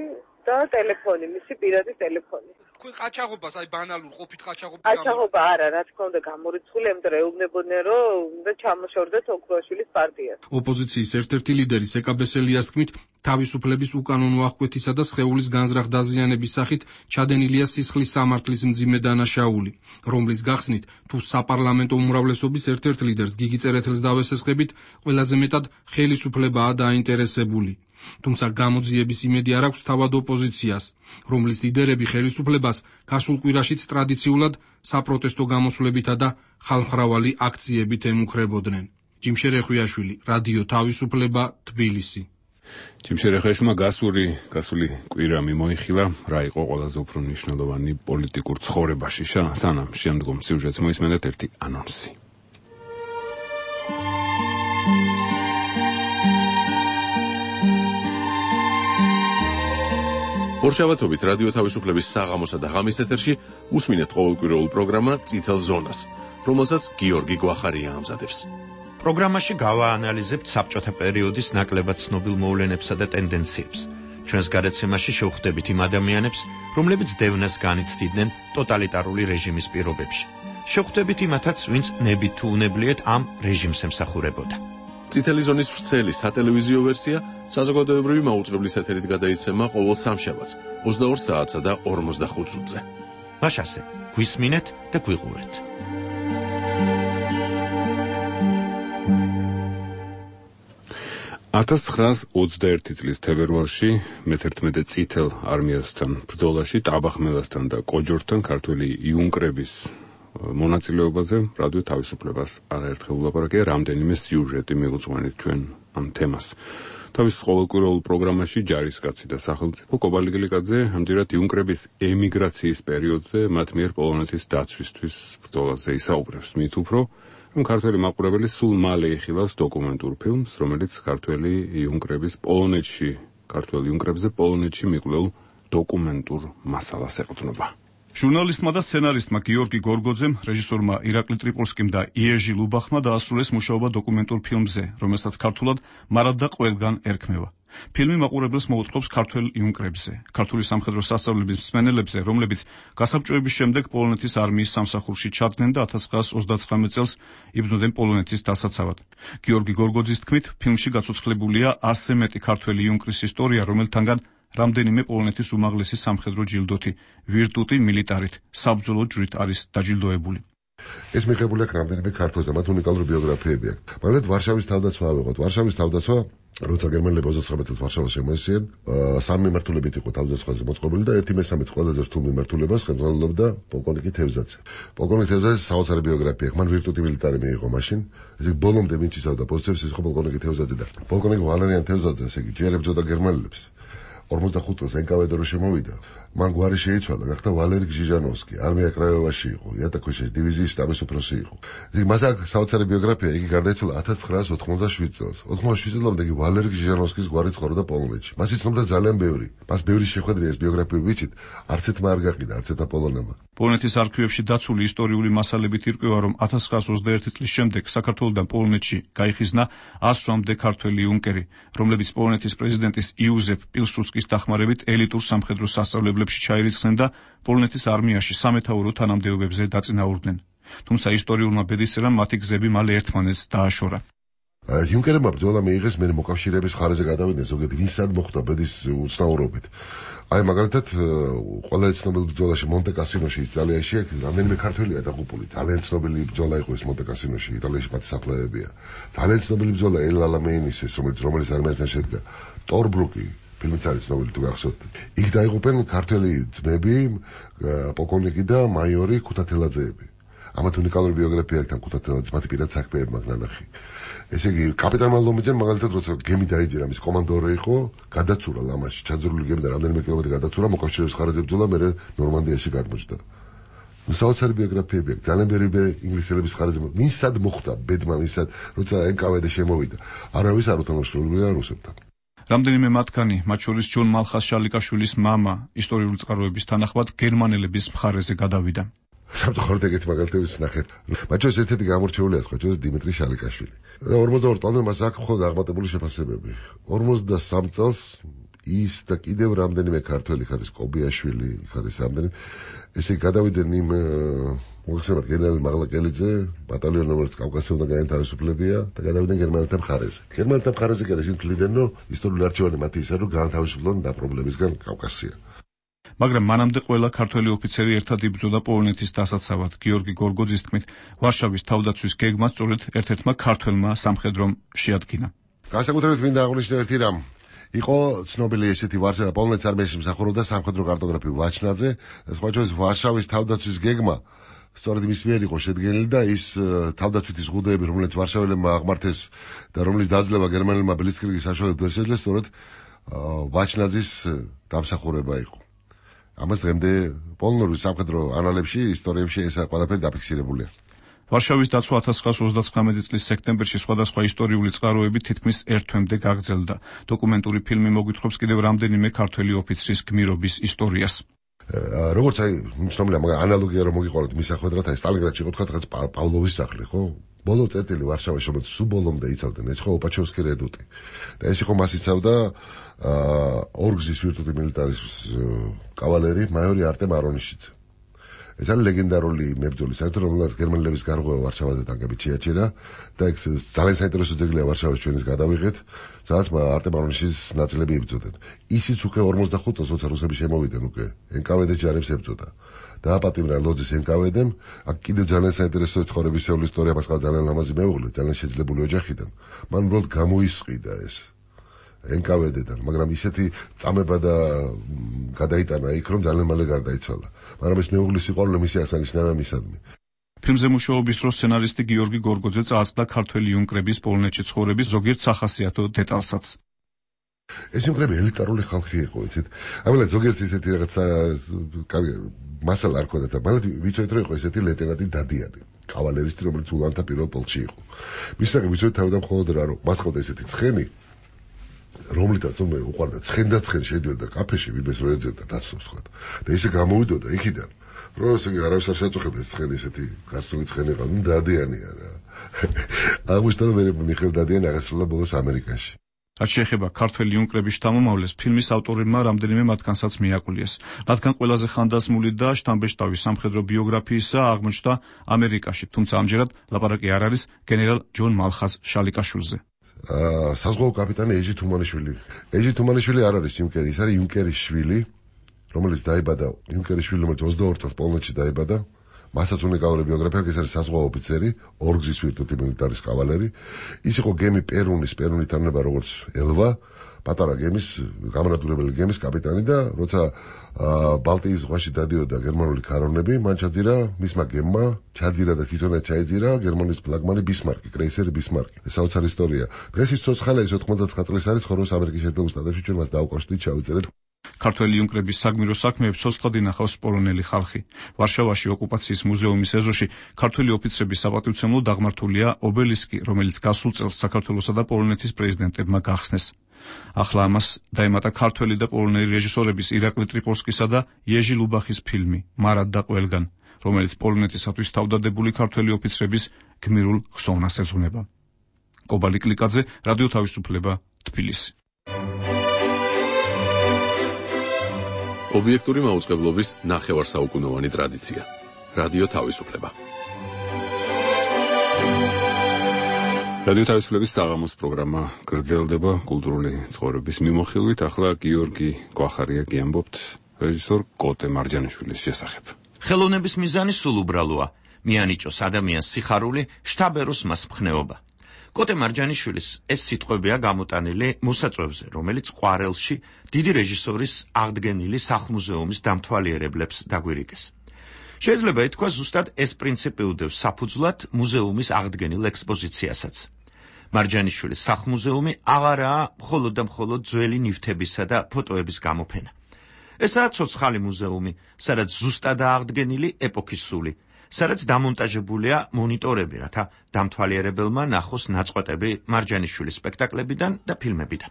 Speaker 8: და ტელეფონი, მისი პირადი ტელეფონი.
Speaker 7: თქვენ ყაჩაღობას, აი ბანალურ ყოფით ყაჩაღობას
Speaker 8: ყაჩაღობა არა, რა თქმა უნდა გამორიცხული, ამიტომ ეუბნებოდნენ, რომ უნდა ჩამოშორდეთ ოქრუაშვილის პარტიას.
Speaker 7: ოპოზიციის ერთ-ერთი ლიდერი სეკაბესელიას თქმით, თავისუფლების უკანონო აღკვეთისა და სხეულის განზრახ დაზიანების სახით ჩადენილია სისხლის სამართლის მძიმე დანაშაული, რომლის გახსნით თუ საპარლამენტო უმრავლესობის ერთ-ერთ ლიდერს გიგი წერეთელს დავესესხებით, ყველაზე მეტად ხელისუფლებაა დაინტერესებული. თუმცა გამოძიების იმედი არ აქვს თავად ოპოზიციას, რომლის ლიდერები ხელისუფლებას გასულ კვირაშიც ტრადიციულად საპროტესტო გამოსვლებითა და ხალხმრავალი აქციებით ემუქრებოდნენ. ჯიმშერ ეხვიაშვილი, რადიო თავისუფლება, თბილისი.
Speaker 1: ჯიმშერ ეხვიაშვილმა გასული კვირა მიმოიხილა, რა იყო ყველაზე უფრო მნიშვნელოვანი პოლიტიკურ ცხოვრებაში. სანამ შემდგომ სიუჟეტს მოისმენთ ერთი ანონსი.
Speaker 3: ორშაბათობით რადიო თავისუფლების საღამოსა და ღამის ეთერში უსმინეთ ყოველკვირეულ პროგრამა წითელ ზონას, რომელსაც გიორგი გვახარია ამზადებს.
Speaker 14: პროგრამაში გავაანალიზებთ საბჭოთა პერიოდის ნაკლებად ცნობილ მოვლენებსა და ტენდენციებს. ჩვენს გადაცემაში შევხვდებით იმ ადამიანებს, რომლებიც დევნას განიცდიდნენ ტოტალიტარული რეჟიმის პირობებში. შევხვდებით იმათაც, ვინც ნებით თუ უნებლიეთ ამ რეჟიმს ემსახურებოდა.
Speaker 3: წითელი ზონის ვრცელი სატელევიზიო ვერსია საზოგადოებრივი მაუწყებლის ეთერით გადაიცემა ყოველ სამშაბათს 22 საათსა და 45 წუთზე.
Speaker 14: მაშასე, გვისმინეთ და გვიყურეთ.
Speaker 1: ...1921 წლის თებერვალში მე-11 წითელ არმიასთან ბრძოლაში ტაბახმელასთან და კოჯორთან ქართველი იუნკრების მონაწილეობაზე რადიო თავისუფლებას არაერთხელ ვლაპარაკია, რამდენიმე სიუჟეტი მიგუძღვენით ჩვენ ამ თემას. თავის ყოველკვირეულ პროგრამაში ჯარისკაცი და სახელმწიფო კობალიგილიკაძე ამჯერად იუნკრების ემიგრაციის პერიოდზე მათ მიერ პოლონეთის დაცვისთვის ბრძოლაზე ისაუბრებს. მით უფრო რომ ქართველი მაყურებელი სულ მალე იხილავს დოკუმენტურ ფილმს, რომელიც ქართველი იუნკრებზე პოლონეთში მიკვლეულ დოკუმენტურ მასალას ეყრდნობა.
Speaker 15: ჟურნალისტმა და სცენარისტმა გიორგი გორგოძემ, რეჟისორმა ირაკლი ტრიპოლსკიმ და იეჟი ლუბახმა დაასრულეს მუშაობა დოკუმენტურ ფილმზე, რომელსაც ქართულად მარად და ყველგან ერქმევა. ფილმი მაყურებელს მოუწყობს ქართველ იუნკრებზე, ქართული სამხედრო სასწავლების მსმენელებზე, რომლებიც გასაბჭოების შემდეგ პოლონეთის არმიის სამსახურში ჩადგნენ და 1939 წელს იბრძოდნენ პოლონეთის დასაცავად. გიორგი გორგოძის თქმით, ფილმში გაცოცხლებულია 100-ზე მეტი ქართველი იუნკრის ისტორია, რომელთანგან რამდენიმე პოლონეთის უმაღლესი სამხედრო ჯილდოთი, ვირტუტი მილიტარით, საბრძოლო ჯვრით არის დაჯილდოებული.
Speaker 16: ეს მიღებული აქვს რამდენიმე ქართველს და მათ უნიკალური ბიოგრაფიები აქვს. მაგრამ ვარშავის თავდაცვა ავიღოთ. ვარშავის თავდაცვა, როცა გერმანელები 29 წელს ვარშავას შემოესწრნენ, სამი მიმართულებით იყო თავდაცვაზე მოწყობილი და 1/3 ყველაზე რთულ მიმართულებას ხელმძღვანელობდა პოლკოვნიკი თევზაძე. პოლკოვნიკი თევზაძეს საოცარი ბიოგრაფია აქვს. მან ვირტუტი მილიტარი მიიღო მაშინ. ესე იგი ბოლომდე ვინც იცავდა პოზიციებს, ის იყო პოლკოვნიკი თევზაძე და პოლკოვნიკი ვალერიან თევზაძე, ესე იგი ჯერ ებრძოდა გერმანელებს. 45 წელს NKVD რო შემოვიდა, მან გვარი შეიცვალა, გახდა ვალერი გჟიჟანოვსკი, არმია კრაიოვაში იყო, იატაკოშის დივიზიის შტაბის უფროსი იყო. იგი მას აქვს საოცარი ბიოგრაფია, იგი გარდაიცვალა 1987 წელს. 87 წლამდე იგი ვალერი გჟიჟანოვსკის გვარი ცხოვრობდა პოლონეთში. მას იცნობდა ძალიან ბევრი. მას ბევრი შეხვედრია ეს ბიოგრაფიები ვიცით, არც ერთმა არ გაყიდა, არც ერთმა პოლონელმა.
Speaker 15: პოლონეთის არქივებში დაცული ისტორიული მასალებით ირკვევა, რომ 1921 წლის შემდეგ საქართველოსთან პოლონეთში გაიხიზნა 100-მდე ქართველი იუნკერი, რომლებიც პოლონეთის პრეზიდენტის იუზეფ პილსუდსკის დახმარებით ელიტურ სამხედრო სასწავლებლებში ჩაირიცხნენ და პოლონეთის არმიაში სამეთაურო თანამდებობებზე დაწინაურდნენ. თუმცა ისტორიულმა ბედისწერამ მათი გზები მალე ერთმანეთს დააშორა.
Speaker 16: იუნკერებმა ბრძოლა მიიღეს, მე მოკავშირეების ხარეზე გადავიდნენ, ზოგადად ვინსად მოხდა ბედის უცნაურობით. აი მაგალითად, ყველა ცნობილ ბრძოლაში მონტე-კასინოში იტალიაში რამდენიმე ქართველია დაღუპული. ძალიან ცნობილი ბრძოლა იყო ეს მონტე-კასინოში, იტალიაში მათი საფლავებია. ძალიან ცნობილი ბრძოლა ელ ალამეინის ეს, რომელიც არმიასთან შედგა. ტორბრუკი ფილმიც არის ცნობილი თუ გახსოვთ. იქ დაიღუპენ ქართველი ძმები, პოლკოვნიკი და მაიორი ქუთათელაძეები. ამათ უნიკალური ბიოგრაფია აქვს ქუთათელაძის, მათი პირად საქმეები მაგ ნანახი. ესე იგი, კაპიტანმა ლომიძემ მაგალითად როცა გემი დაიძირა, მის კომანდორი იყო, გადაცურა ლამაში, ჩაძრული გემი და რამდენიმე კილომეტრი გადაცურა, მოკავშირეების ხარაზე ბრძოლა, მერე ნორმანდიაში გადმოჭდა. საოცარი ბიოგრაფიები აქვს, ძალიან ბევრი ინგლისელების ხარაზე. ვინსად მოხდა ბედმა, ვინსად როცა NKVD შემოვიდა, არავის არ უთანამშრომლობდა რუსებთან.
Speaker 15: რამდენიმე მათგანი, მათ შორის ჯონ მალხას შალიკაშვილის მამა, ისტორიული წყაროების თანახმად გერმანელების მხარეზე გადავიდა.
Speaker 16: სამწუხაროდ ეგეთი მაგალითებიც ნახეთ. მათ შორის ერთ-ერთი გამორჩეულია სხვა შორის დიმიტრი შალიკაშვილი. 42 წლამდე მას აქვს მხოლოდ აღმატებული შეფასებები. 53 წელს ის და კიდევ რამდენიმე ქართველი ხარის კობიაშვილი ხარის რამდენიმე ესე გადავიდნენ იმ მოგხსენებათ გენერალი მაღლაკელიძე, ბატალიონი რომელიც კავკასიასთან გაანთავისუფლებია და გადავიდნენ გერმანელთა მხარეზე. გერმანელთა მხარეზე კი ისინი თვლიდნენ, რომ ისტორიული არჩევანი მათი ისაა, რომ გაანთავისუფლონ დაპრობლებისგან კავკასია.
Speaker 15: მაგრამ მანამდე ყველა ქართველი ოფიცერი ერთად იბრძოდა პოლონეთის დასაცავად. გიორგი გორგოძის თქმით, ვარშავის თავდაცვის გეგმა სწორედ ერთ-ერთმა ქართველმა სამხედრომ შეადგინა.
Speaker 16: განსაკუთრებით მინდა აღვნიშნო ერთი რამ. იყო ცნობილი ესეთი პოლონეთის არმიაში მსახურობდა სამხედრო კარტოგრაფი ვაჩნაძე, სხვა შორის ვარშავის თავდაცვის გეგმა სწორედ მის მიერ იყო შედგენილი და ის თავდაცვითი ზღუდეები, რომელიც ვარშაველებმა აღმართეს და რომლის დაძლევა გერმანელმა ბლიცკრიგის საშუალებით ვერ შეძლეს, სწორედ ვაჩნაძის დამსახურება იყო. ამას დღემდე პოლონური სამხედრო ანალებში, ისტორიებში ეს ყველაფერი დაფიქსირებულია.
Speaker 15: ვარშავის დაცვა 1939 წლის სექტემბერში სხვადასხვა ისტორიული წყაროები თითქმის ერთ თვემდე გაგრძელდა. დოკუმენტური ფილმი მოგვითხრობს კიდევ რამდენიმე ქართველი ოფიცრის გმირობის ისტორიას.
Speaker 16: როგორც აი ცნობილია, მაგრამ ანალოგია რომ მოგიყვანოთ მის სახვედრად, აი სტალინგრადში იყო თქვა პავლოვის სახლი, ხო? ბოლო წერტილი ვარშავაში, რომელიც სულ ბოლომდე იცავდნენ, ეს იყო ოპაჩოვსკი რედუტი. და ეს იყო მას იცავდა ორგზის ვირტუტი მილიტარის კავალერი მაიორი არტემ არონიშიძე. ეს არის ლეგენდარული მებრძოლი, საერთოდ რომელსაც გერმანელების გარღვევა ვარშავაზე ტანკებით შეაჩერა და ეს ძალიან საინტერესო ძეგლია ვარშავის ჩვენის გადავიღეთ, სადაც არტემ არონიშიძის ნაწილები იბრძოდნენ. ისიც უკვე 45 წელს როცა რუსები შემოვიდნენ უკვე NKVD ჯარებს ებრძოდა. დააპატიმრა ლოძის NKVD-მ, აქ კიდევ ძალიან საინტერესო ცხოვრებისეული ისტორია მას ძალიან ლამაზი მეუღლე, ძალიან შეძლებული ოჯახიდან. მან უბრალოდ გამოისყიდა ეს NKVD-დან, მაგრამ ისეთი წამება და გადაიტანა იქ, რომ ძალიან მალე გარდაიცვალა. მაგრამ ეს მეუღლის სიყვარული მისი აღსანიშნავია მისადმი.
Speaker 15: ფილმზე მუშაობის დროს სცენარისტი გიორგი გორგოძე წააწყდა ქართველი იუნკრების პოლონეთში ცხოვრების ზოგიერთ სახასიათო დეტალსაც.
Speaker 16: ეს იუნკრები ელიტარული ხალხი იყო, იცით? ამიტომ ზოგიერთ ისეთი რაღაცა მასალა არ ქონდათ, მაგრამ ვიცით რომ იყო ესეთი ლეიტენანტი დადიანი, კავალერისტი, რომელიც ულანთა პირველ პოლკში იყო. მისაღი ვიცით თავიდან მხოლოდ რა რომ მას ყავდა ესეთი ცხენი, რომლითაც თუმე უყარდა ცხენ შედიოდა კაფეში, ვინმეს რო ეძებდა დაცნობს თქვა. და ისე გამოვიდოდა იქიდან, რომ ესე არავის არ შეაწუხებდა ცხენი ესეთი გასული ცხენი ყავდა, დადიანია რა. აღმოჩნდა რომ მიხეილ დადიანი აღესრულა ბოლოს ამერიკაში.
Speaker 15: რაც შეეხება ქართველი იუნკრების შთამომავლეს, ფილმის ავტორებმა რამდენიმე მათგანსაც მიაკულიეს, რადგან ყველაზე ხანდაზმული და შთამბეჭდავი სამხედრო ბიოგრაფიისა აღმოჩნდა ამერიკაში, თუმცა ამჯერად ლაპარაკი არ არის გენერალ ჯონ მალხაზ შალიკაშვილზე.
Speaker 16: საზღვაო კაპიტანი ეჟი თუმანიშვილი. ეჟი თუმანიშვილი არ არის იუნკერი, ის არის იუნკერის შვილი, რომელიც დაიბადა იუნკერის შვილი, რომელიც 22 წელს პოლონეთში დაიბადა. მასაც უნიკალური ბიოგრაფია, ის არის საზღვაო ოფიცერი, ორგზის ვირტუთი მილიტარის კავალერი. ის იყო გემი პერუნი თარნება როგორც ელვა, პატარა გემის, გამანადგურებელი გემის კაპიტანი და როცა ბალტიის ზღვაში დადიოდა გერმანული ქარონები, მან ჩაძირა მისმა გემმა, და თვითონაც ჩაიძირა გერმანიის ფლაგმანი ბისმარკი, კრეისერი ბისმარკი. ეს საოცარი ისტორია. დღეს ის ცოცხალა, ის 99 წლის არის, ცხოვრობს ამერიკის შეერთებულ შტატებში, ჩვენ მას დაუკავშირდით, ჩავიწერეთ.
Speaker 15: ქართველი იუნკრების საგმირო საქმეებს ცოცხლად ინახავს პოლონელი ხალხი. ვარშავაში ოკუპაციის მუზეუმის ეზოში ქართველი ოფიცრების საპატივცემლოდ აღმართულია ობელისკი, რომელიც გასულ წელს საქართველოსა და პოლონეთის პრეზიდენტებმა გახსნეს. ახლა ამას დაემატა ქართველი და პოლონელი რეჟისორების ირაკლი ტრიპოლსკისა და იეჟი ლუბახის ფილმი მარად და ყველგან, რომელიც პოლონეთისათვის თავდადებული ქართველი ოფიცრების გმირულ ხსოვნას ეძღვნება. კობალი კლიკაძე, რადიო თავისუფლება, თბილისი.
Speaker 3: ობიექტური მაუწყებლობის ნახევარსაუკუნოვანი ტრადიცია. რადიო თავისუფლება.
Speaker 1: რადიო თავისუფლების საღამოს პროგრამა გრძელდება კულტურული ცხოვრების მიმოხილვით. ახლა გიორგი გვახარია გიამბობთ რეჟისორ კოტე მარჯანიშვილის შესახებ.
Speaker 14: ხელოვნების მიზანი სულ უბრალოა: მიანიჭოს ადამიანს სიხარული, შთაბეროს მას მხნეობა. კოტე მარჯანიშვილის ეს სიტყვებია გამოტანილი მოსაწვევზე, რომელიც ყვარელში დიდი რეჟისორის აღდგენილი სახლ-მუზეუმის დამთვალიერებლებს დაგვირიგეს. შეიძლება ითქვას, ზუსტად ეს პრინციპი უდევს საფუძვლად მუზეუმის აღდგენილ ექსპოზიციასაც. მარჯანიშვილის სახლ-მუზეუმი აღარაა მხოლოდ და მხოლოდ ძველი ნივთებისა და ფოტოების გამოფენა. ესაა ცოცხალი მუზეუმი, სადაც ზუსტადაა აღდგენილი ეპოქის სული, სადაც დამონტაჟებულია მონიტორები, რათა დამთვალიერებელმა ნახოს ნაწყვეტები მარჯანიშვილის სპექტაკლებიდან და ფილმებიდან.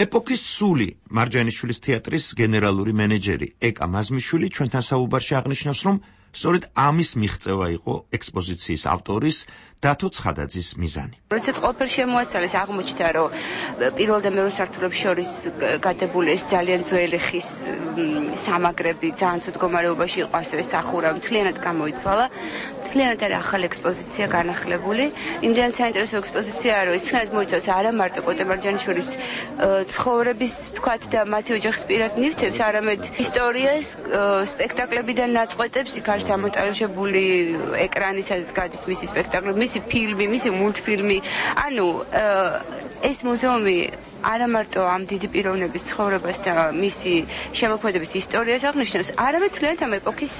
Speaker 14: ეპოქის სული მარჯანიშვილის თეატრის გენერალური მენეჯერი ეკა მაზმიშვილი ჩვენთან საუბარში აღნიშნავს, რომ სწორედ ამის მიღწევა იყო ექსპოზიციის ავტორის დათო ცხადაძის მიზანი.
Speaker 17: როდესაც ყველაფერი შემოაცალეს, აღმოჩნდა, რომ პირველ და მეორე სართულებს შორის გადებული ეს ძალიან ძველი ხის სამაგრები ძალიან ცუდ მდგომარეობაში იყო, ასევე სახურა მთლიანად გამოიცვალა. მთლიანად არის ახალი ექსპოზიცია განახლებული. იმდენად საინტერესო ექსპოზიციაა, რომ ის თვითონაც მოიცავს არა მარტო კოტე მარჯანიშვილის ცხოვრების, თქვათ და მათი ოჯახის პირად ნივთებს, არამედ ისტორიას, სპექტაკლებიდან ნაწყვეტებს, იქ არის დამონტაჟებული ეკრანი, სადაც გადის მისი სპექტაკლები, მისი ფილმი, მისი მულტფილმი. ანუ ეს მუზეუმი არა მარტო ამ დიდი პიროვნების ცხოვრებას და მისი შემოქმედების ისტორიას აღნიშნავს, არამედ თლიანად ამ ეპოქის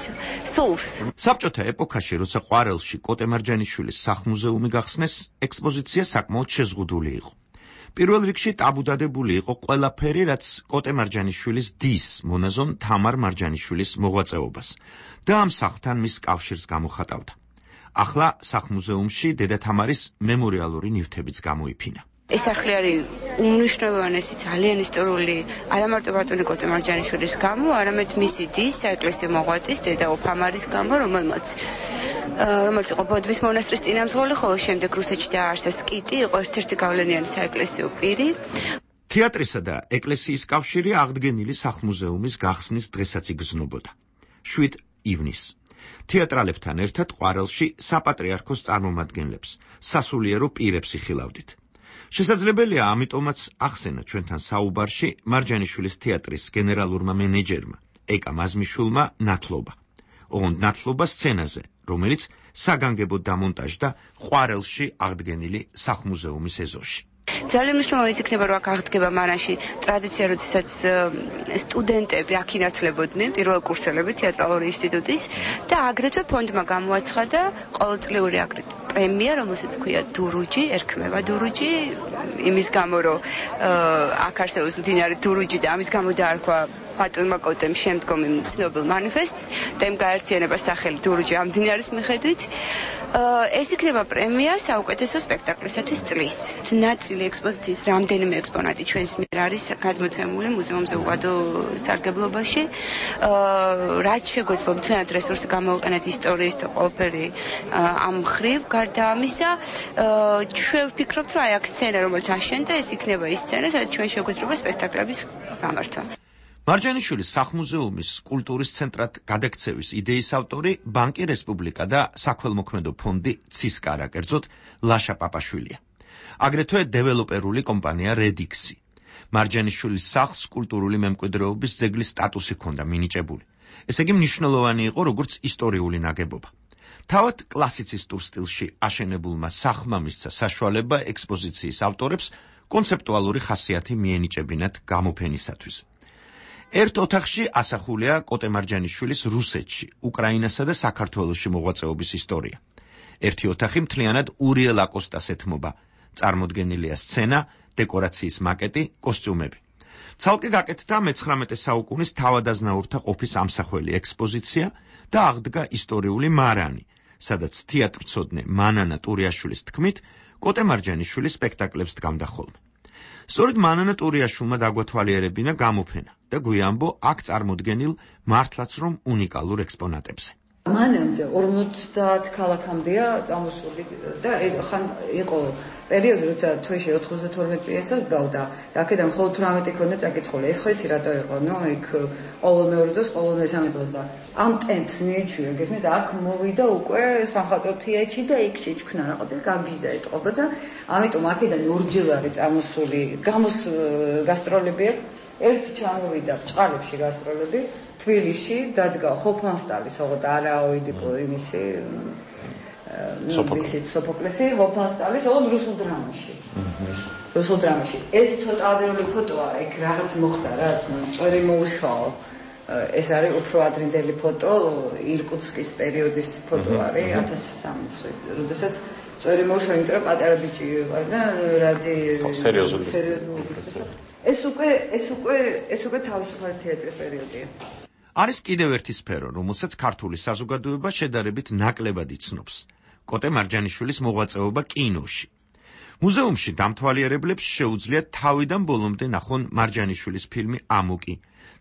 Speaker 17: სულს.
Speaker 14: საბჭოთა ეპოქაში, როცა ყვარელში კოტე მარჯანიშვილის სახლ-მუზეუმი გახსნეს, ექსპოზიცია საკმაოდ შეზღუდული იყო. პირველ რიგში ტაბუდადებული იყო ყველაფერი, რაც კოტე მარჯანიშვილის დის, მონაზონ თამარ მარჯანიშვილის მოღვაწეობას და ამ სახლთან მის კავშირს გამოხატავდა. ახლა სახლ-მუზეუმში დედა თამარის მემორიალური ნივთებიც გამოიფინა.
Speaker 17: ეს სახლი არის უმნიშვნელოვანესი, ძალიან ისტორიული, არა მარტო ბატონი კოტე მარჯანიშვილის გამო, არამედ მისი დის, საეკლესიო მოღვაწის, დედა ოფამარის გამო, რომელიც იყო ბოდბის მონასტრის წინამძღოლი, ხოლო შემდეგ რუსეთში დააარსა სკიტი, იყო ერთ-ერთი გავლენიანი საეკლესიო პირი.
Speaker 14: თეატრისა და ეკლესიის კავშირი აღდგენილი სახლ-მუზეუმის გახსნის დღესაც იგრძნობოდა. 7 ივნისს. თეატრალებთან ერთად ყვარელში საპატრიარქოს წარმომადგენლებს, სასულიერო პირებს იხილავდით. შესაძლებელია ამიტომაც ახსენა ჩვენთან საუბარში მარჯანიშვილის თეატრის გენერალურმა მენეჯერმა ეკა მაზმიშვილმა ნათლობა. ოღონდ ნათლობა სცენაზე, რომელიც საგანგებოდ დამონტაჟდა ყვარელში აღდგენილი სახლ-მუზეუმის ეზოში.
Speaker 17: ძალიან მნიშვნელოვანი იქნება, რომ აქ აღდგება მანაში ტრადიცია, როდესაც სტუდენტები აქ ინაცლებოდნენ, პირველკურსელები თეატრალური ინსტიტუტის და აგრეთვე ფონდმა გამოაცხადა ყოველწლიური პრემია, რომელსაც ქვია დურუჯი, ერქმევა დურუჯი, იმის გამო, რომ აქ არსებობს მდინარე დურუჯი და ამის გამო დაარქვა ბატონმა კოტემ შემდგომი ცნობილ მანიფესტს და იმ გაერთიანებას სახელი დურჯი ამ დინარის მიხედვით ეს იქნება პრემია საუკეთესო სპექტაკლისათვის წლის. ნაწილი ექსპოზიციის რამდენიმე ექსპონატი ჩვენს მიერ არის გადმოცემული მუზეუმზე უვადო სარგებლობაში. რაც შეგვეძლო მთლიანად რესურსი გამოვიყენეთ ისტორიის და ყველაფერი ამ მხრივ. გარდა ამისა, ჩვენ ვფიქრობთ, რომ აი აქ სცენა, რომელიც აშენდა, ეს იქნება ის სცენა, სადაც ჩვენ შეგვეძლება სპექტაკლების გამართვა.
Speaker 14: მარჯანიშვილის სახლ-მუზეუმის კულტურის ცენტრად გადაქცევის იდეის ავტორი ბანკი რესპუბლიკა და საქველმოქმედო ფონდი ცისკარა, კერძოდ ლაშა პაპაშვილია. აგრეთვე დეველოპერული კომპანია რედიქსი. მარჯანიშვილის სახლს კულტურული მემკვიდრეობის ძეგლის სტატუსი ჰქონდა მინიჭებული. ესე იგი მნიშვნელოვანი იყო როგორც ისტორიული ნაგებობა. თავად კლასიცისტურ სტილში აშენებულმა სახლმა მისცა საშუალება ექსპოზიციის ავტორებს კონცეპტუალური ხასიათი მიენიჭებინათ გამოფენისათვის. ერთ ოთახში ასახულია კოტე მარჯანიშვილის რუსეთში, უკრაინასა და საქართველოში მოღვაწეობის ისტორია. ერთი ოთახი მთლიანად ურიელ აკოსტას ეთმობა. წარმოდგენილია სცენა, დეკორაციის მაკეტი, კოსტიუმები. ცალკე გაკეთდა მე-19 საუკუნის თავადაზნაურთა ყოფის ამსახველი ექსპოზიცია და აღდგა ისტორიული მარანი, სადაც თეატრცოდნე მანანა ტურიაშვილის თქმით, კოტე მარჯანიშვილი სპექტაკლებს დგამდა ხოლმე. სწორედ მანანა ტურიაშვილმა დაგვათვალიერებინა გამოფენა და გვიანბო აქ წარმოდგენილ მართლაც რომ უნიკალურ ექსპონატებზე.
Speaker 18: მანამდე 50 ქალაქამდეა წამოსული და ხან იყო პერიოდი, როცა თვეში 92 პიესას გავდა და აქედან მხოლოდ 18 იქნა წაკითხული. ეს ხო იცი რატო იყო? ნუ იქ ყოველ მეორე დროს, ყოველ მესამე დღეს და ამ ტემპს მიეჩვია, გესმით, აქ მოვიდა უკვე სამხატვრო თეატრი და იქ შეჭქნა რაღაცა გაგიჟდა ეტყობა და ამიტომ აქედან ორჯერ არის წამოსული გასტროლები. ერთი ჩამოვიდა ბჭყალებში გასტროლები. თბილისში დადგა ჰოფმანსტალის, ოღონდ არაოიდი იმისი სოფოკლესი, ჰოფმანსტალის, ოღონდ რუსულ დრამაში. რუსულ დრამაში. ეს ცოტა ადრეული ფოტოა, იქ რაღაც მოხდა რა, წვერი მოუშვალო. ეს არის უფრო ადრინდელი ფოტო, ირკუტსკის პერიოდის ფოტო არის 1003 წლის, როდესაც წვერი მოუშვალო, იმიტომ რომ პატარა ბიჭი იყო და რაძი სერიოზული. ეს უკვე თავისუფალი თეატრის პერიოდია.
Speaker 14: არის კიდევ ერთი სფერო, რომელსაც ქართული საზოგადოება შედარებით ნაკლებად იცნობს. კოტე მარჯანიშვილის მოღვაწეობა კინოში. მუზეუმში დამთვალიერებლებს შეუძლიათ თავიდან ბოლომდე ნახონ მარჯანიშვილის ფილმი ამოკი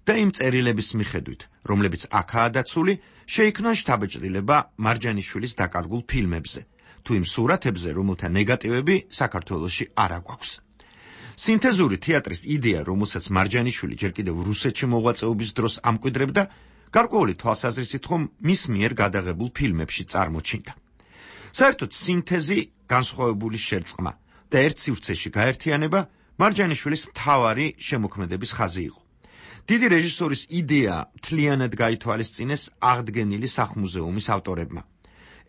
Speaker 14: და იმ წერილების მიხედვით, რომლებიც აქაა დაცული, შეიქმნა შთაბეჭდილება მარჯანიშვილის დაკარგულ ფილმებზე, თუ იმ სურათებზე, რომელთა ნეგატივები საქართველოში არ აგვაქვს. სინთეზური თეატრის იდეა, რომელსაც მარჯანიშვილი ჯერ კიდევ რუსეთში მოღვაწეობის დროს ამკვიდრებდა, გარკვეული თვალსაზრისით ხომ მის მიერ გადაღებულ ფილმებში წარმოჩინდა. საერთოდ სინთეზი, განსხვავებული შერწყმა და ერთ სივრცეში გაერთიანება მარჯანიშვილის მთავარი შემოქმედების ხაზი იყო. დიდი რეჟისორის იდეა მთლიანად გაითვალისწინეს აღდგენილი სახლ-მუზეუმის ავტორებმა.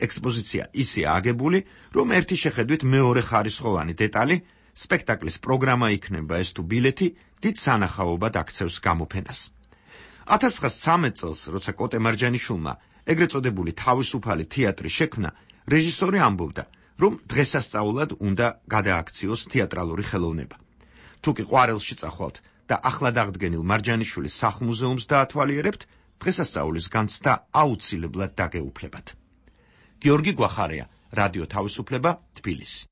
Speaker 14: ექსპოზიცია ისეა აგებული, რომ ერთი შეხედვით მეორე ხარისხოვანი დეტალი სპექტაკლის პროგრამა იქნება ეს თუ ბილეთი დიდ სანახაობად აქცევს გამოფენას. 1913 წელს, როცა კოტე მარჯანიშვილმა ეგრეთ წოდებული თავისუფალი თეატრი შექმნა, რეჟისორი ამბობდა, რომ დღესასწაულად უნდა გადააქციოს თეატრალური ხელოვნება. თუ კი ყვარელში წახვალთ და ახლად აღდგენილ მარჯანიშვილის სახლ-მუზეუმს დაათვალიერებთ, დღესასწაულის განცდა აუცილებლად დაგეუფლებათ. გიორგი გვახარია, რადიო თავისუფლება, თბილისი.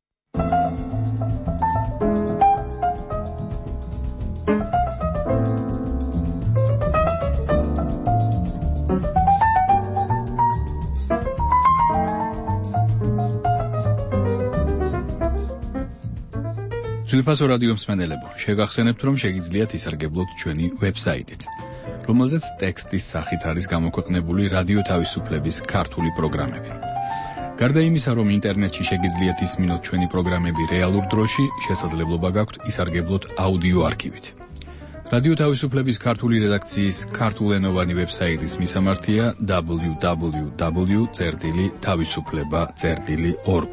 Speaker 6: ძვირფასო რადიო მსმენელებო, შეგახსენებთ, რომ შეგიძლიათ ისარგებლოთ ჩვენი ვებსაიტით, რომელზეც ტექსტის სახით არის გამოქვეყნებული რადიო თავისუფლების ქართული პროგრამები. გარდა იმისა, რომ ინტერნეტში შეგიძლიათ ისმინოთ ჩვენი პროგრამები რეალურ დროში, შესაძლებლობა გაქვთ ისარგებლოთ აუდიო არქივით. რადიო თავისუფლების ქართული რედაქციის ქართულენოვანი ვებსაიტის მისამართია www.tavisufleba.org.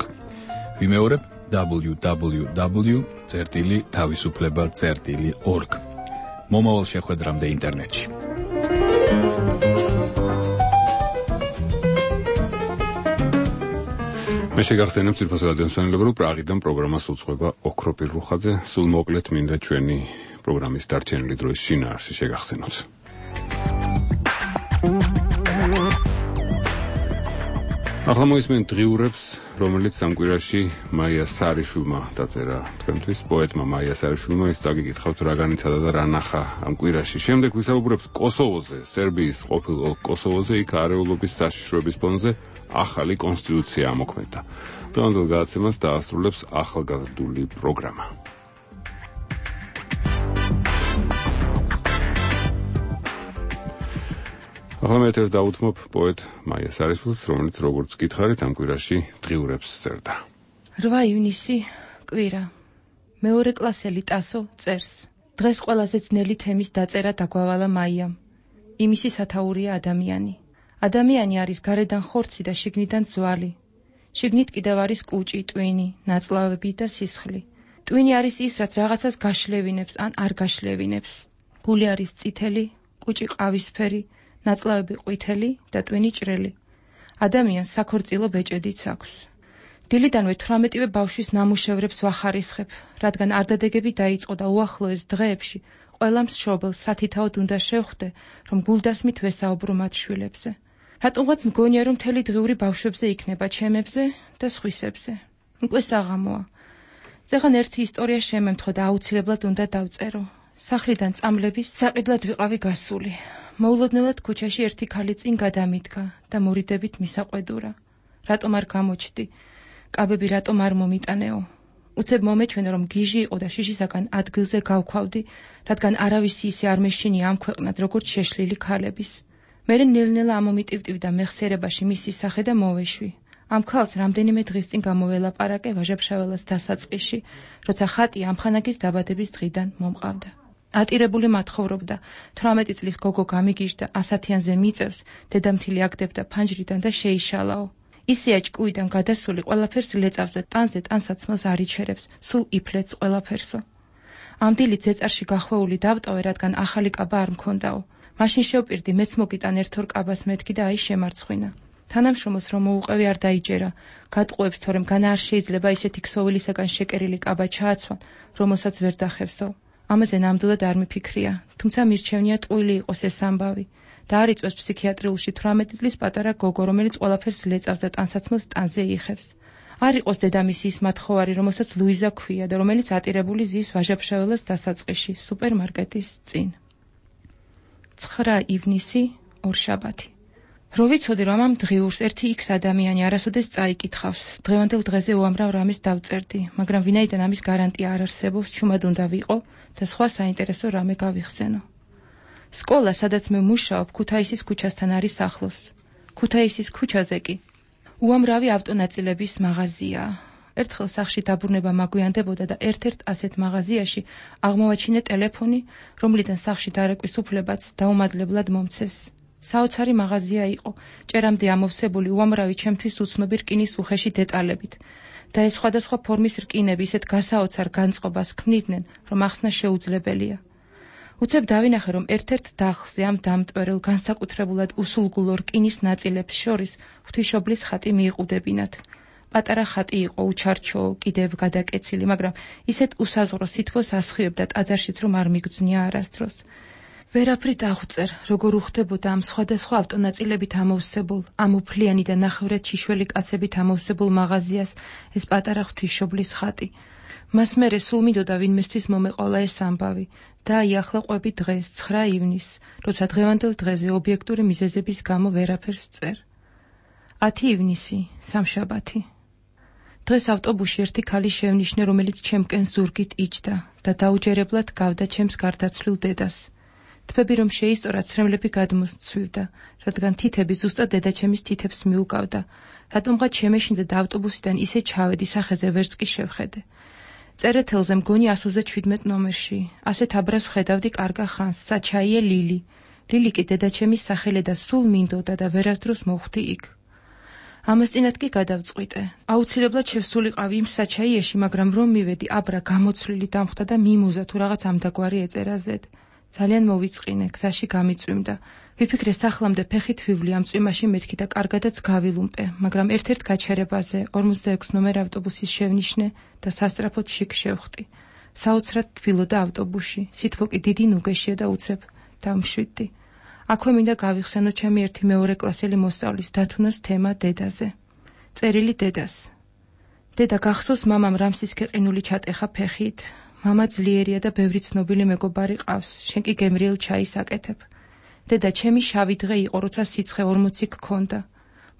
Speaker 6: ვიმეორებ www.tavisufleba.org. მომავალ შეხვედრამდე ინტერნეტში. მე შეგახსენებ ძვირფასო რადიო მსმენელებო, რომ პრაღიდან პროგრამას უძღვება ოქრო პირრუხაძე. სულ მოკლედ მინდა ჩვენი პროგრამის დარჩენილი დროის შინაარსი შეგახსენოთ.
Speaker 1: ახლა მოისმენთ დღიურებს, რომელიც სამკვირაში მაია სარიშვილმა დაწერა თქვენთვის, პოეტმა მაია სარიშვილმა. ის წაგიკითხავთ რა განიცადა და რა ნახა ამ კვირაში. შემდეგ ვისაუბრებთ კოსოვოზე, სერბიის ყოფილ კოსოვოზე, იქ არეულობის საშიშროების ფონზე ახალი კონსტიტუცია ამოქმედდა. დღევანდელ გადაცემას დაასრულებს ახალგაზრდული პროგრამა. ახლა მე ერთ დავუთმობ პოეტ მაია სარიშვილს, რომელიც როგორც გითხარით ამ კვირაში დღიურებს წერდა.
Speaker 5: 8 ივნისი კვირა. მეორე კლასელი ტასო წერს. დღეს ყველაზე ძნელი თემის დაწერა დაგვავალა მაიამ. იმისი სათაურია ადამიანი. ადამიანი არის გარედან ხორცი და შიგნიდან ძვალი. შიგნით კიდევ არის კუჭი, ტვინი, ნაწლავები და სისხლი. ტვინი არის ის, რაც რაღაცას გაშლევინებს ან არ გაშლევინებს. გული არის წითელი, კუჭი ყავისფერი, ნაწლავები ყვითელი და ტვინი ჭრელი. ადამიანს საქორწილო ბეჭედიც აქვს. დილიდანვე 18-ვე ბავშვის ნამუშევრებს ვახარისხებ, რადგან არდადეგები დაიწყო და უახლოეს დღეებში ყველა მშობელს სათითაოდ უნდა შევხვდე, რომ გულდასმით ვესაუბრო მათ შვილებზე. რატომღაც მგონია, რომ მთელი დღიური ბავშვებზე იქნება, ჩემებზე და სხვისებზე. უკვე საღამოა. ზეღან ერთი ისტორია შემემთხო და აუცილებლად უნდა დავწერო. სახლიდან წამლების საყიდლად ვიყავი გასული. მოულოდნელად ქუჩაში ერთი ქალი წინ გადამიდგა და მორიდებით მისაყვედურა. რატომ არ გამოჩდი? კაბები რატომ არ მომიტანეო? უცებ მომეჩვენა, რომ გიჟი იყო და შიშისაგან ადგილზე გავქვავდი, რადგან არავისი ისე არ მეშინია ამ ქვეყნად, როგორც შეშლილი ქალების. მერე ნელ-ნელა ამომიტივტივ და მეხსიერებაში მისი სახე და მოვეშვი. ამ ქალს რამდენიმე დღის წინ გამოველაპარაკე ვაჟა-ფშაველას დასაწყისში, როცა ხატი ამხანაგის დაბადების დღიდან მომყავდა. ატირებული მათხოვრობდა, 18 წლის გოგო გამიგიჟდა, 100-იანზე მიწევს, დედამთილი აგდებდა ფანჯრიდან და შეიშალაო. ისეა ჭკუიდან გადასული ყველაფერს ლეწავს და ტანზე ტანსაცმელს არ იჩერებს, სულ იფლეთს ყველაფერსო. ამ დილით ზეწარში გახვეული დავტოვე, რადგან ახალი კაბა არ მქონდაო. მაშინ შევპირდი, მეც მოგიტან ერთ-ორ კაბას მეთქი და აი შემარცხვინა. თანამშრომელს რომ მოუყევი არ დაიჯერა, გადყუებს, თორემ განა არ შეიძლება ისეთი ქსოვილისაგან შეკერილი კაბა ჩააცვან, რომელსაც ვერ დახევსო. ამაზე ნამდვილად არ მიფიქრია, თუმცა მირჩევნია ტყუილი იყოს ეს ამბავი და არ იწვევს ფსიქიატრიულში 18 წლის პატარა გოგო, რომელიც ყველაფერს ლეწავს და ტანსაცმელს ტანზე იხევს. არ იყოს დედამისი ის მათხოვარი, რომელსაც ლუიზა ქვია და რომელიც ატირებული ზის ვაჟა-ფშაველას დასაწყისში, სუპერმარკეტის წინ. 9 ივნისი ორშაბათი. რო ვიცოდი, რომ ამ დღიურს ერთი X ადამიანი არასოდეს წაიკითხავს, დღევანდელ დღეზე უამრავ რამეს დავწერდი, მაგრამ ვინაიდან ამის გარანტია არ არსებობს, ჩუმად უნდა ვიყო და სხვა საინტერესო რამე გავიხსენო. სკოლა, სადაც მე მუშაობ, ქუთაისის ქუჩასთან არის ახლოს. ქუთაისის ქუჩაზე კი უამრავი ავტონაწილების მაღაზიაა. ერთხელ სახლში დაბრუნება მაგვიანდებოდა და ერთ-ერთ ასეთ მაღაზიაში აღმოვაჩინე ტელეფონი, რომლიდან სახლში დარეკვის უფლებაც დაუმადლებლად მომცეს. საოცარი მაღაზია იყო, ჭერამდე ამოვსებული უამრავი ჩემთვის უცნობი რკინის უხეში დეტალებით. და ეს სხვადასხვა ფორმის რკინები ისეთ გასაოცარ განწყობას ქმნიდნენ, რომ ახსნა შეუძლებელია. უცებ დავინახე, რომ ერთ-ერთ დახლზე ამ დამტვერელ განსაკუთრებულად უსულგულო რკინის ნაწილებს შორის ღვთისმშობლის ხატი მიიყუდებინათ. პატარა ხატი იყო, უჩარჩო, კიდევ გადაკეცილი, მაგრამ ისეთ უსაზღვრო სითბოს ასხივებდა ტაძარშიც, რომ არ მიგძვნია არასდროს. ვერაფრით აღვწერ, როგორ უხდებოდა ამ სხვადასხვა ავტონაწილებით ამოვსებულ, ამ უფლიანი და ნახევრად შიშველი კაცებით ამოვსებულ მაღაზიას ეს პატარა ღვთისმშობლის ხატი. მას მერე სულ მინდოდა ვინმესთვის მომეყოლა ეს ამბავი და აი ახლა ყვები დღეს, 9 ივნისს, როცა დღევანდელ დღეზე ობიექტური მიზეზების გამო ვერაფერს ვწერ. 10 ივნისი, სამშაბათი. დღეს ავტობუსში ერთი ქალი შევნიშნე, რომელიც ჩემკენ ზურგით იჯდა და დაუჯერებლად გავდა ჩემს გარდაცვლილ დედას. თვები რომ შეისწორა, ცრემლები გადმოსცვივდა, რადგან თითები ზუსტად დედაჩემის თითებს მიუგავდა. რატომღაც შემეშინდა და ავტობუსიდან ისე ჩავედი, სახეზე ვერც კი შევხედე. წერეთელზე მგონი 127 ნომერში. ასეთ აბრას ვხედავდი კარგა ხანს, საჩაიე ლილი. ლილი კი დედაჩემის სახელი და სულ მინდოდა და ვერასდროს მოვხვდი იქ. ამასწინად კი გადავწყვიტე. აუცილებლად შევსულიყავი იმ საჩაიეში, მაგრამ რომ მივედი, აბრა გამოცვლილი დამხვდა და მიმუზა თუ რაღაც ამდაგვარი ეწერა ზედ. ძალიან მოვიწყინე, გზაში გამიწვიმდა. ვიფიქრე სახლამდე ფეხით ვივლი ამ წვიმაში მეთქი და კარგადაც გავილუმპე, მაგრამ ერთ-ერთ გაჩერებაზე 46 ნომერ ავტობუსის შევნიშნე და სასწრაფოდ შიგ შევხვდი. საოცრად თბილოდა ავტობუსში, სითბო კი დიდი ნუგეშია და უცებ დამშვიდდი. აქვე მინდა გავიხსენო ჩემი ერთი მეორე კლასელი მოსწავლის დათუნას თემა დედაზე. წერილი დედას. დედა გახსოვს, მამამ რამსის ქეყინული ჩატეხა ფეხით. მამა ძლიერია და ბევრი ცნობილი მეგობარი ყავს. შენ კი გემრიელ ჩაის აკეთებ. დედა, ჩემი შავი დღე იყო, როცა სიცხე 40 გქონდა.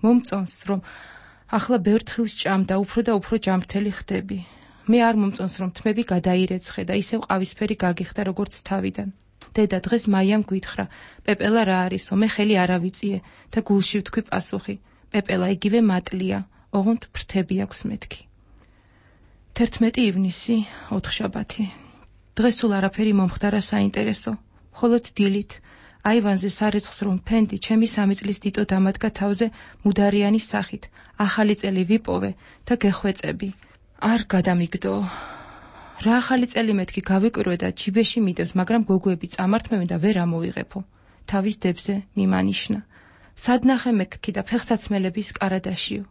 Speaker 5: მომწონს, რომ ახლა ბევრ თხილს ჭამდა, უფრო და უფრო ჯამრთელი ხდები. მე არ მომწონს, რომ თმები გადაირეცხე და ისევ ყავისფერი გაგიხდა, როგორც თავიდან. დედა, დღეს მაიამ გვითხრა, პეპელა რა არისო, მე ხელი არ ავიწიე და გულში ვთქვი პასუხი. პეპელა იგივე მატლია, ოღონდ ფრთები აქვს მეთქი. 11 ივნისი, ოთხშაბათი. დღეს სულ არაფერი მომხდარა საინტერესო, მხოლოდ დილით აივანზე სარეცხს რომ ფენდი, ჩემი 3 წლის დიტო დამადგა თავზე მუდარიანის სახით. ახალი წელი ვიპოვე და გეხვეწები. არ გადამიგდო. რა ახალი წელი მეთქი გავიკვირვე და ჯიბეში მიდევს, მაგრამ გოგოები წამართმევენ და ვერ ამოვიღებო. თავის დებზე მიმანიშნა. სადნახე მეკქი და ფეხსაცმელების კარადაშიო.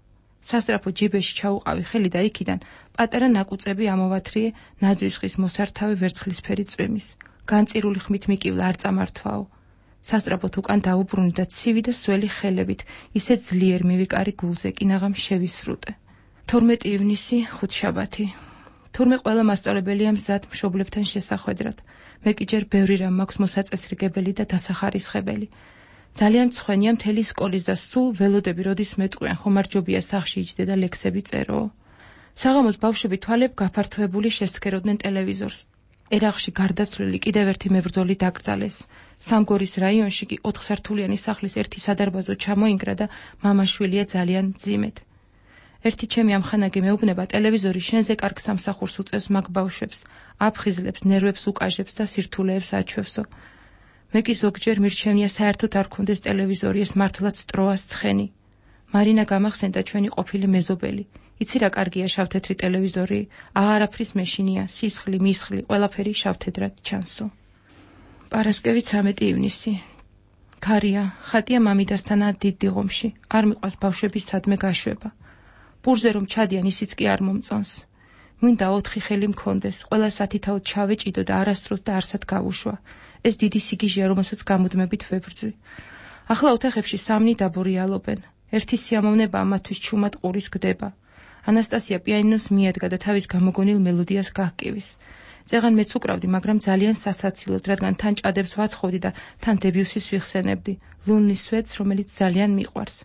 Speaker 5: სასწრაფო ჯიბეში ჩაუყავი ხელი და იქიდან პატარა ნაკუწები ამოვათრიე ნაძვისხის მოსართავი ვერცხლისფერი წვიმის. განწირული ხმით მიკივლა არ წამართვაო. სასწრაფოდ უკან დაუბრუნდი და ცივი და სველი ხელებით ისე ძლიერ მივიკარი გულზე, კინაღამ შევისრუტე. 12 ივნისი, ხუთშაბათი. თურმე ყველა მასწავლებელია მზად მშობლებთან შესახვედრად. მე კი ჯერ ბევრი რამ მაქვს მოსაწესრიგებელი და დასახარისხებელი. ძალიან მცხვენია მთელი სკოლის და სულ ველოდები როდის მეტყვიან, ხომ არ ჯობია სახლში იჯდე და ლექსები წერო. საღამოს ბავშვები თვალებ გაფართოებული შესცქეროდნენ ტელევიზორს. ერაღში გარდაცვლილი კიდევ ერთი მებრძოლი დაკრძალეს. სამგორის რაიონში კი 4 სართულიანი სახლის ერთი სადარბაზო ჩამოინგრა და მამაშვილია ძალიან მძიმედ. ერთი ჩემი ამხანაგი მეუბნება, ტელევიზორი შენზე კარგ სამსახურს უწევს მაგ ბავშვებს, აფხიზლებს, ნერვებს უკაჟებს და სირთულეებს აჩვევსო. მე კი ზოგჯერ მირჩენია საერთოდ არ ქონდეს ტელევიზორი, ეს მართლაც ტროას ცხენი. მარინა გამახსენდა ჩვენი ყოფილი მეზობელი. იცი რა კარგია შავთეთრი ტელევიზორი, აღარაფრის მეშინია, სისხლი, მისხლი, ყველაფერი შავთეთრად ჩანსო. პარასკევი 13 ივნისი. ქარია, ხატია მამიდასთანაა დიდ დიღომში, არ მიყვას ბავშვების სადმე გაშვება. პურზე რომ ჩადიან, ისიც კი არ მომწონს. მინდა 4 ხელი მქონდეს, ყველა სათითაოდ ჩავეჭიდო და არასდროს და არსად გავუშვა. ეს დიდი სიგიჟეა, რომელსაც გამუდმებით ვებრძვი. ახლა ოთახებში 3 დაბორიალობენ. ერთი სიამოვნება ამათვის ჩუმად ყურის გდება. ანასტასია პიანინოს მიადგა და თავის გამოგონილ მელოდიას გაჰკივის. წეღან მეც უკრავდი, მაგრამ ძალიან სასაცილოდ, რადგან თან ჭადებს ვაცხობდი და თან დებიუსის ვიხსენებდი, ლუნნის სვეტს, რომელიც ძალიან მიყვარს.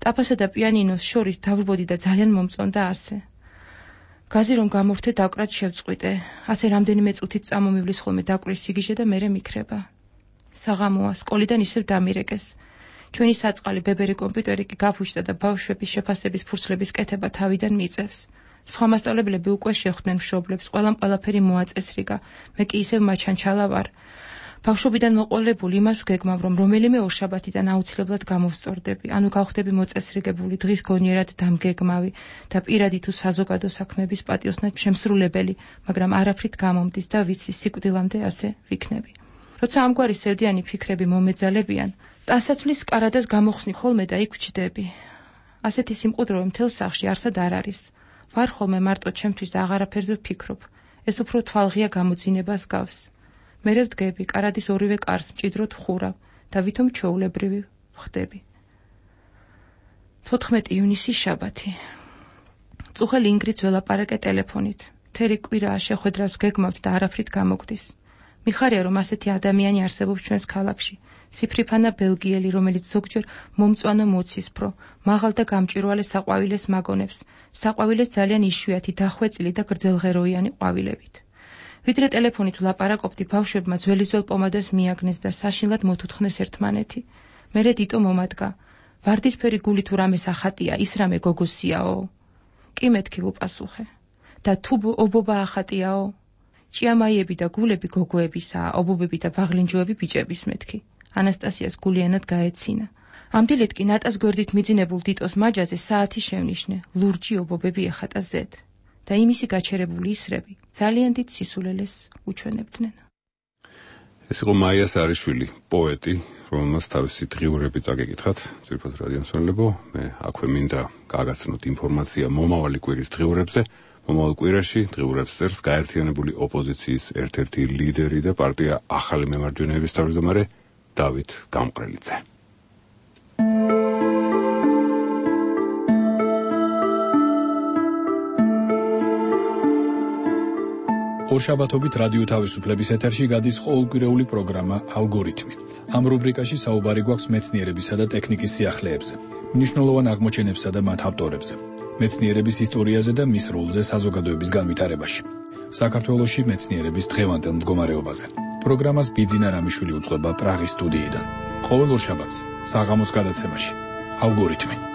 Speaker 5: ტაფასა და პიანინოს შორის დავრბოდი და ძალიან მომწონდა ასე. გაზი რომ გამოვთე დაკვრად შევწყვიტე, ასე რამდენიმე წუთით წამომივლის ხოლმე დაკვრის სიგიჟე და მერე მიქრება. საღამოა, სკოლიდან ისევ დამირეკეს. ჩვენი საწყალი ბებერი კომპიუტერი კი გაფუჭდა და ბავშვების შეფასების ფურცლების კეთება თავიდან მიწევს. სხვა მასწავლებლები უკვე შეხვდნენ მშობლებს, ყველამ ყველაფერი მოაწესრიგა, მე კი ისევ მაჩანჩალა ვარ. ბავშვობიდან მოყოლებული იმას ვგეგმავ, რომ რომელიმე ორშაბათიდან აუცილებლად გამოვსწორდები, ანუ გავხდები მოწესრიგებული, დღის გონიერად დამგეგმავი და პირადი თუ საზოგადო საქმეების პატიოსნად შემსრულებელი, მაგრამ არაფრით გამომდის და ვიცი სიკვდილამდე ასე ვიქნები. როცა ამგვარი სევდიანი ფიქრები მომეძალებიან, ტანსაცმლის კარადას გამოხსნი ხოლმე და იქ ვჩდები. ასეთი სიმყუდროვე მთელ სახლში არსად არ არის. ვარ ხოლმე მარტო ჩემთვის და აღარაფერზე ვფიქრობ. ეს უფრო თვალღია გამოძინებას გავს. მერე ვდგები, კარადის ორივე კარს მჭიდროდ ვხურავ და ვითომ ჩვეულებრივი ვხდები. 14 ივნისი, შაბათი. წუხელ ინგრიდს ველაპარაკე ტელეფონით. მთელი კვირაა შეხვედრას ვგეგმავთ და არაფრით გამოგვდის. მიხარია, რომ ასეთი ადამიანი არსებობს ჩვენს ქალაქში. სიფრიფანა ბელგიელი, რომელიც ზოგჯერ მომწვანო მოცისფრო, მაღალ და გამჭვირვალე საყვავილეს მაგონებს, საყვავილეს ძალიან იშვიათი, დახვეწილი და გრძელღეროიანი ყვავილებით. ვიდრე ტელეფონით ვლაპარაკობდი, ბავშვებმა ძველიზველ პომადას მიაგნეს და საშინლად მოთუთხნეს ერთმანეთი. მერე დიტო მომადგა. ვარდისფერი გული თუ რამეს ახატია, ის რამე გოგოსიაო. კი მეთქი ვუპასუხე. და თუ ობობა ახატიაო. ჭიამაიები და გულები გოგოებისაა, ობობები და ბაღლინჯოები ბიჭების მეთქი. ანასტასიას გულიანად გაეცინა. ამ დილით კი ნატას გვერდით მიძინებულ დიტოს მაჯაზე საათი შევნიშნე, ლურჯი ობობები ეხატა ზედ და იმისი გაჩერებული ისრები ძალიან დიდ სისულელეს უჩვენებდნენ.
Speaker 1: ეს იყო მაია სარიშვილი, პოეტი, რომელმაც თავისი დღიურები წაგეკითხათ, ძირფოთ რადიომსმენელებო, მე აქვე მინდა გაგაცნოთ ინფორმაცია მომავალი კვირის დღიურებზე. მომავალ კვირაში დღიურებს წერს გაერთიანებული ოპოზიციის ერთ-ერთი ლიდერი და პარტია ახალი მემარჯვენეების თავმჯდომარე დავით გამყრელიძე.
Speaker 19: ორშაბათობით რადიო თავისუფლების ეთერში გადის ყოველკვირეული პროგრამა ალგორითმი. ამ რუბრიკაში საუბარი გვაქვს მეცნიერებისა და ტექნიკის სიახლეებზე, მნიშვნელოვან აღმოჩენებსა და მათ ავტორებზე, მეცნიერების ისტორიაზე და მის როლზე საზოგადოების განვითარებაში. საქართველოში მეცნიერების დღევანდელ მდგომარეობაზე. პროგრამას ბიძინა რამიშვილი უძღვება პრაღის სტუდიიდან. ყოველ ორშაბათს საღამოს გადაცემაში ალგორითმი.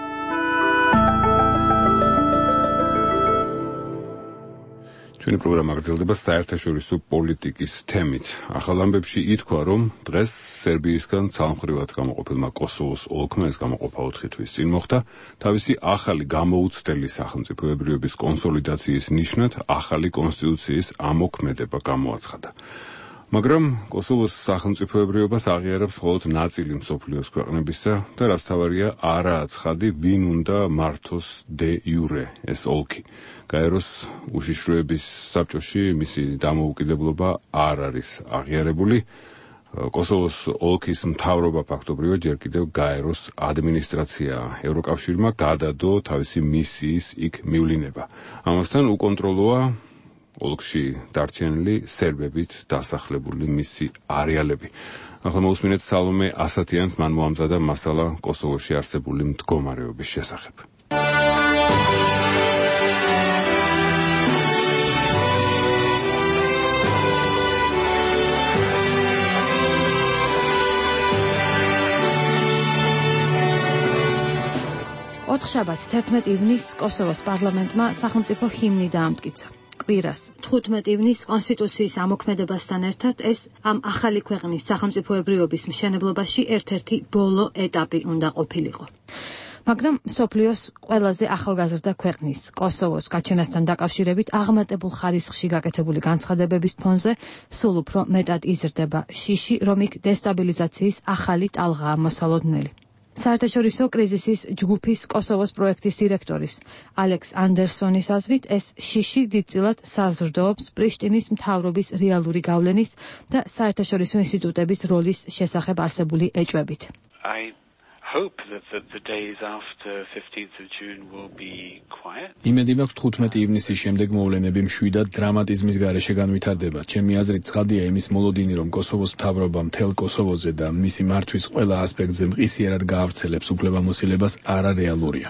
Speaker 1: ჩვენი პროგრამა გრძელდება საერთაშორისო პოლიტიკის თემით. ახალ ამბებში ითქვა, რომ დღეს სერბიისგან ცალმხრივად გამოყოფილმა კოსოვოს ოლქმა ეს გამოყოფა 4 თვის წინ მოხდა, თავისი ახალი გამოუცდელი სახელმწიფოებრიობის კონსოლიდაციის ნიშნად ახალი კონსტიტუციის ამოქმედება გამოაცხადა. მაგრამ კოსოვოს სახელმწიფოებრიობას აღიარებს მხოლოდ ნაწილი მსოფლიოს ქვეყნებისა და რაც თავარია არაა ცხადი, ვინ უნდა მართოს დე იურე ეს ოლქი. გაეროს უშიშროების საბჭოში მისი დამოუკიდებლობა არ არის აღიარებული. კოსოვოს ოლქის მთავრობა ფაქტობრივად ჯერ კიდევ გაეროს ადმინისტრაციაა. ევროკავშირმა გადადო თავისი მისიის იქ მივლინება. ამასთან უკონტროლოა ოლქში დარჩენილი სერბებით დასახლებული მისი არეალები. ახლა მოусმინეთ სალომე ასათიანს, მან მოამზადა მასალა კოსოვოში არსებული მდგომარეობის შესახებ.
Speaker 20: ოთხშაბათს 11 ივნისს კოსოვოს პარლამენტმა სახელმწიფო ჰიმნი დაამტკიცა. კვირას 15 ივნისს კონსტიტუციის ამოქმედებასთან ერთად ეს ამ ახალი ქვეყნის სახელმწიფოებრიობის მშენებლობაში ერთ-ერთი ბოლო ეტაპი უნდა ყოფილიყო. მაგრამ მსოფლიოს ყველაზე ახალგაზრდა ქვეყნის კოსოვოს გაჩენასთან დაკავშირებით აღმატებულ ხარისხში გაკეთებული განცხადებების ფონზე სულ უფრო მეტად იზრდება შიში, რომ იქ დესტაბილიზაციის ახალი ტალღაა მოსალოდნელი. საერთაშორისო კრიზისის ჯგუფის კოსოვოს პროექტის დირექტორის ალექს ანდერსონის აზრით ეს შიში დიდწილად საზრდოობს პრიშტინის მთავრობის რეალური გავლენის და საერთაშორისო ინსტიტუტების როლის შესახებ არსებული ეჭვებით.
Speaker 19: იმედი მაქვს 15 ივნისის შემდეგ მოვლენები მშვიდად დრამატიზმის გარეშე განვითარდება. ჩემი აზრით ცხადია იმის მოლოდინი, რომ კოსოვოს მთავრობა მთელ კოსოვოზე და მისი მართვის ყველა ასპექტზე მყისიერად გაავრცელებს უფლებამოსილებას არარეალურია.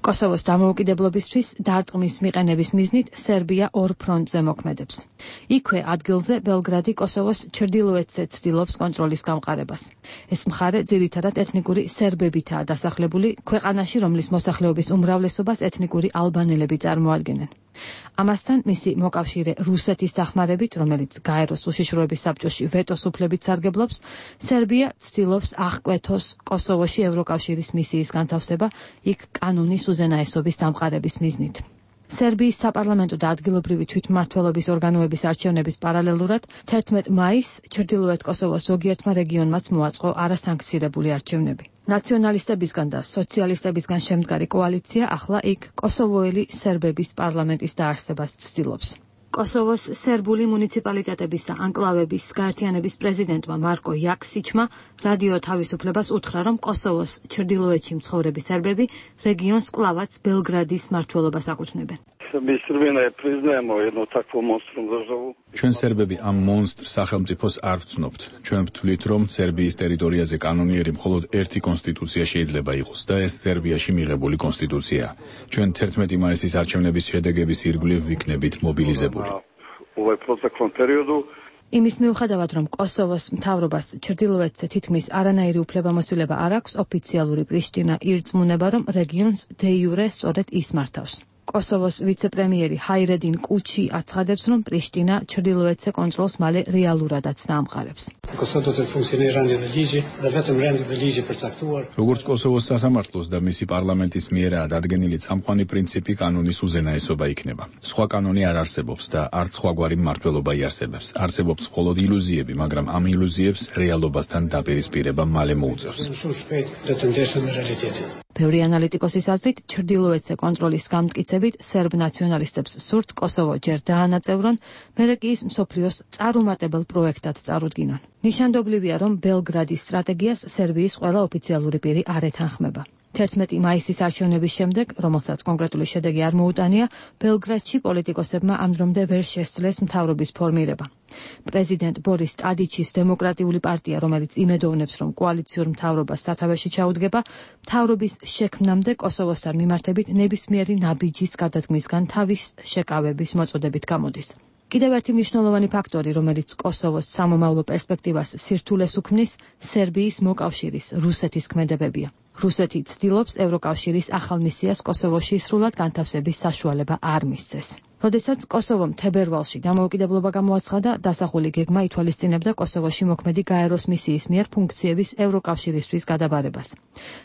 Speaker 20: კოსოვოს დამოუკიდებლობისთვის დარტყმის მიყენების მიზნით სერბია ორ ფრონტზე მოქმედებს. იქვე ადგილზე ბელგრადი კოსოვოს ჩრდილოეთზე ცდილობს კონტროლის გამყარებას. ეს მხარე ძირითადად ეთნიკური სერბებითაა დასახლებული ქვეყანაში, რომლის მოსახლეობის უმრავლესობას ეთნიკური ალბანელები წარმოადგენენ. ამასთან მისი მოკავშირე რუსეთის დახმარებით, რომელიც გაეროს უშიშროების საბჭოში ვეტოს უფლებით სარგებლობს, სერბია ცდილობს აღკვეთოს კოსოვოში ევროკავშირის მისიის განთავსება იქ კანონის უზენაესობის დამყარების მიზნით. სერბიის საპარლამენტო და ადგილობრივი თვითმმართველობის ორგანოების არჩევნების პარალელურად 11 მაისს ჩრდილოეთ კოსოვოს ზოგიერთმა რეგიონმაც მოაწყო არასანქცირებული არჩევნები. ნაციონალისტებისგან და სოციალისტებისგან შემდგარი კოალიცია ახლა იქ კოსოვოელი სერბების პარლამენტის დაარსებას ცდილობს. კოსოვოს სერბული მუნიციპალიტეტების და ანკლავების გაერთიანების პრეზიდენტმა მარკო იაქსიჩმა რადიო თავისუფლებას უთხრა, რომ კოსოვოს ჩრდილოეთში მცხოვრები სერბები რეგიონს კვლავაც ბელგრადის მმართველობას აკუთვნებენ.
Speaker 19: ჩვენ სერბები ამ მონსტრ სახელმწიფოს არ ვცნობთ. ჩვენ ვთვლით, რომ სერბიის ტერიტორიაზე კანონიერი მხოლოდ ერთი კონსტიტუცია შეიძლება იყოს და ეს სერბიაში მიღებული კონსტიტუციაა. ჩვენ 11 მაისის არჩევნების შედეგების ირგვლივ ვიქნებით მობილიზებული.
Speaker 20: იმის მიუხედავად, რომ კოსოვოს მთავრობას ჩრდილოეთზე თითქმის არანაირი უფლებამოსილება არ აქვს, ოფიციალური პრიშტინა ირწმუნება, რომ რეგიონს დე იურე სწორედ ის მართავს. კოსოვოს ვიცე-პრემიერი ჰაირედინ კუჩი აცხადებს, რომ პრიშტინა ჩრდილოეთზე კონტროლს მალე რეალურადაც დაამყარებს.
Speaker 19: როგორც კოსოვოს სასამართლოს და მისი პარლამენტის მიერაა დადგენილი წამყვანი პრინციპი კანონის უზენაესობა იქნება. სხვა კანონი არ არსებობს და არც სხვაგვარი მმართველობა იარსებებს. არსებობს მხოლოდ ილუზიები, მაგრამ ამ ილუზიებს რეალობასთან დაპირისპირება მალე მოუწევს.
Speaker 20: ბევრი ანალიტიკოსის აზრით, ჩრდილოეთზე კონტროლის გამტკიცებით სერბ ნაციონალისტებს სურთ კოსოვო ჯერ დაანაწევრონ, მერე კი ის მსოფლიოს წარუმატებელ პროექტად წარუდგინონ. ნიშანდობლივია, რომ ბელგრადის სტრატეგიას სერბიის ყველა ოფიციალური პირი არ ეთანხმება. 11 მაისის არჩევნების შემდეგ, რომელსაც კონკრეტული შედეგი არ მოუტანია, ბელგრადში პოლიტიკოსებმა ამ დრომდე ვერ შესძლეს მთავრობის ფორმირება. პრეზიდენტ ბორის ტადიჩის დემოკრატიული პარტია, რომელიც იმედოვნებს, რომ კოალიციურ მთავრობას სათავეში ჩაუდგება, მთავრობის შექმნამდე კოსოვოსთან მიმართებით ნებისმიერი ნაბიჯის გადადგმისგან თავის შეკავების მოწოდებით გამოდის. კიდევ ერთი მნიშვნელოვანი ფაქტორი, რომელიც კოსოვოს სამომავლო პერსპექტივას სირთულეს უქმნის, სერბიის მოკავშირის რუსეთის ქმედებებია. რუსეთი ცდილობს ევროკავშირის ახალ მისიას კოსოვოში სრულად განთავსების საშუალება არ მისცეს. როდესაც კოსოვომ თებერვალში დამოუკიდებლობა გამოაცხადა, დასახული გეგმა ითვალისწინებდა კოსოვოში მოქმედი გაეროს მისიის მიერ ფუნქციების ევროკავშირისთვის გადაბარებას.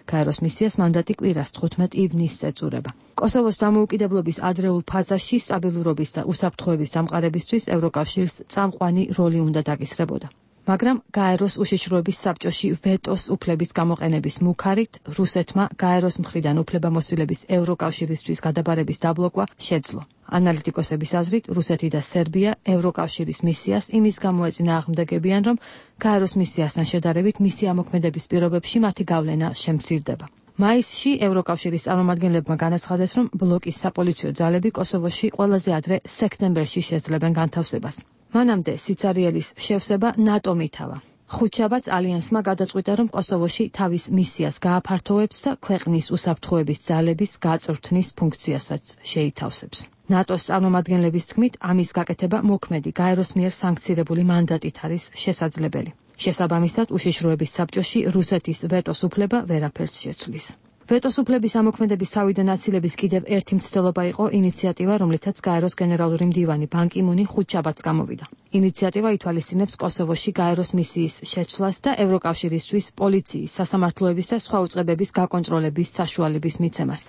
Speaker 20: გაეროს მისიას მანდატი კვირას 15 ივნისს ეწურება. კოსოვოს დამოუკიდებლობის ადრეულ ფაზაში სტაბილურობის და უსაფრთხოების დამყარებისთვის ევროკავშირს წამყვანი როლი უნდა დაკისრებოდა. მაგრამ გაეროს უშიშროების საბჭოში ვეტოს უფლების გამოყენების მუქარით რუსეთმა გაეროს მხრიდან უფლებამოსილების ევროკავშირისთვის გადაბარების დაბლოკვა შეძლო. ანალიტიკოსების აზრით, რუსეთი და სერბია ევროკავშირის მისიას იმის გამო ეწინააღმდეგებიან, რომ გაეროს მისიასთან შედარებით მისი ამოქმედების პირობებში მათი გავლენა შემცირდება. მაისში ევროკავშირის წარმომადგენლებმა განაცხადეს, რომ ბლოკის საპოლიციო ძალები კოსოვოში ყველაზე ადრე სექტემბერში შეძლებენ განთავსებას. მანამდე სიცარიელის შევსება ნატომ ითავა. ხუთშაბათს ალიანსმა გადაწყვიტა, რომ კოსოვოში თავის მისიას გააფართოვებს და ქვეყნის უსაფრთხოების ძალების გაწვრთნის ფუნქციასაც შეითავსებს. ნატოს წარმომადგენლების თქმით, ამის გაკეთება მოქმედი გაეროს მიერ სანქცირებული მანდატით არის შესაძლებელი. შესაბამისად, უშიშროების საბჭოში რუსეთის ვეტოს უფლება ვერაფერს შეცვლის. ვეტოს უფლების ამოქმედების თავიდან აცილების კიდევ ერთი მცდელობა იყო ინიციატივა, რომლითაც გაეროს გენერალური მდივანი ბან კი მუნი ხუთშაბათს გამოვიდა. ინიციატივა ითვალისწინებს კოსოვოში გაეროს მისიის შეცვლას და ევროკავშირისთვის პოლიციის, სასამართლოების და სხვა უწყებების გაკონტროლების საშუალების მიცემას.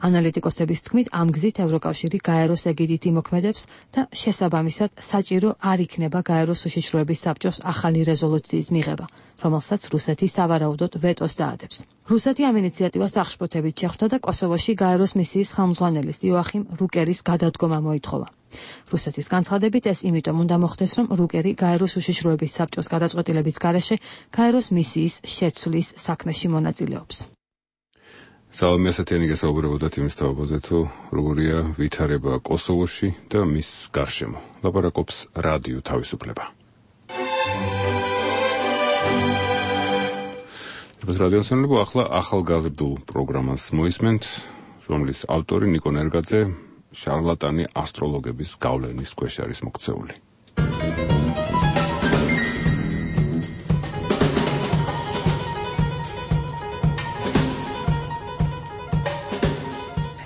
Speaker 20: ანალიტიკოსების თქმით, ამ გზით ევროკავშირი გაეროს ეგიდით იმოქმედებს და შესაბამისად საჭირო არ იქნება გაეროს უშიშროების საბჭოს ახალი რეზოლუციის მიღება, რომელსაც რუსეთი სავარაუდოდ ვეტოს დაადებს. რუსეთი ამ ინიციატივას აღშფოთებით შეხვდა და კოსოვოში გაეროს მისიის ხელმძღვანელის იოახიმ რუკერის გადადგომა მოითხოვა. რუსეთის განცხადებით ეს იმიტომ უნდა მოხდეს, რომ რუკერი გაეროს უშიშროების საბჭოს გადაწყვეტილების გარეშე გაეროს მისიის შეცვლის საქმეში მონაწილეობს.
Speaker 1: სალამი ასეთიანი გასაუბრებოდათ იმის თაობაზე, თუ როგორია ვითარება კოსოვოში და მის გარშემო. ლაპარაკობს რადიო თავისუფლება. რადიოსანლებო, ახლა ახალგაზრდულ პროგრამას მოისმენთ, რომლის ავტორი ნიკო ნერგაძე შარლატანი ასტროლოგების გავლენის ქვეშ არის მოქცეული.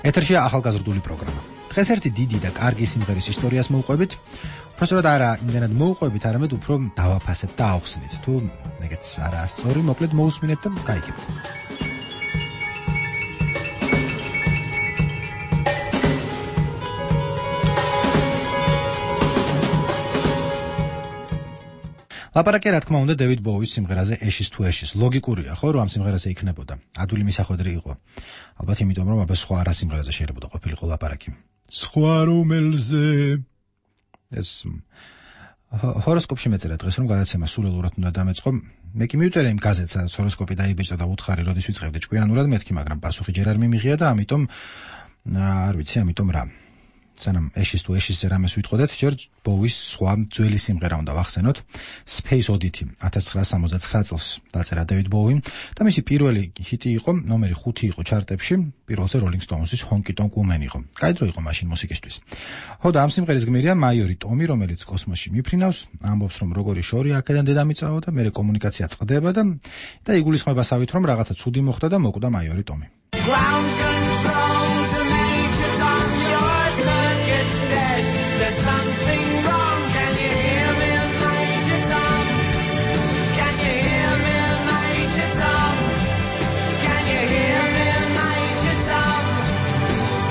Speaker 21: ეთერშია ახალგაზრდული პროგრამა. დღეს ერთი დიდი და კარგი სიმღერის ისტორიას მოვყვებით. უბრალოდ არა იმდენად მოვყვებით, არამედ უფრო დავაფასებთ და ავხსნით. თუ ეგეც არაა სწორი, მოკლედ მოусმინეთ და გაიგებთ. ლაპარაკია, რა თქმა უნდა, დევიდ ბოუის სიმღერაზე ეშის თუ ეშის. ლოგიკურია, ხო, რომ ამ სიმღერაზე იქნებოდა. ადვილი მისახვედრი იყო. ალბათ იმიტომ, რომ აბა სხვა არა სიმღერაზე შეიძლება ყოფილიყო ლაპარაკი. სხვა რომელზე ეს ჰოროსკოპში მეწერა დღეს, რომ გადაცემა სულელურად უნდა დამეწყო. მე კი მივწერე იმ გაზეთს, სადაც ჰოროსკოპი დაიბეჭდა და უთხარი, როდის ვიწყებდი ჭკვიანურად მეთქი, მაგრამ პასუხი ჯერ არ მიმიღია და ამიტომ არ ვიცი, ამიტომ რა. სანამ ეშის თუ ეშისზე რამეს ვიტყოდეთ, ჯერ ბოუის სხვა ძველი სიმღერა უნდა ვახსენოთ. Space Oddity 1979 წელს დაწერა დევიდ ბოუიმ და მისი პირველი ჰიტი იყო, ნომერი 5 იყო ჩარტებში, პირველზე Rolling Stones-ის Honky Tonk Woman იყო. კაი იყო მაშინ მუსიკისთვის. ხო და ამ სიმღერის გმირია მაიორი ტომი, რომელიც კოსმოსში მიფრინავს, ამბობს, რომ როგორი შორი აქედან დედამიწაო და მერე კომუნიკაცია წყდება და იგულისხმება სავით, რომ რაღაცა ცუდი მოხდა და მოკვდა მაიორი ტომი.
Speaker 22: There's something wrong, can you hear me, Major Tom? Can you hear me, Major Tom? Can you hear me, Major Tom?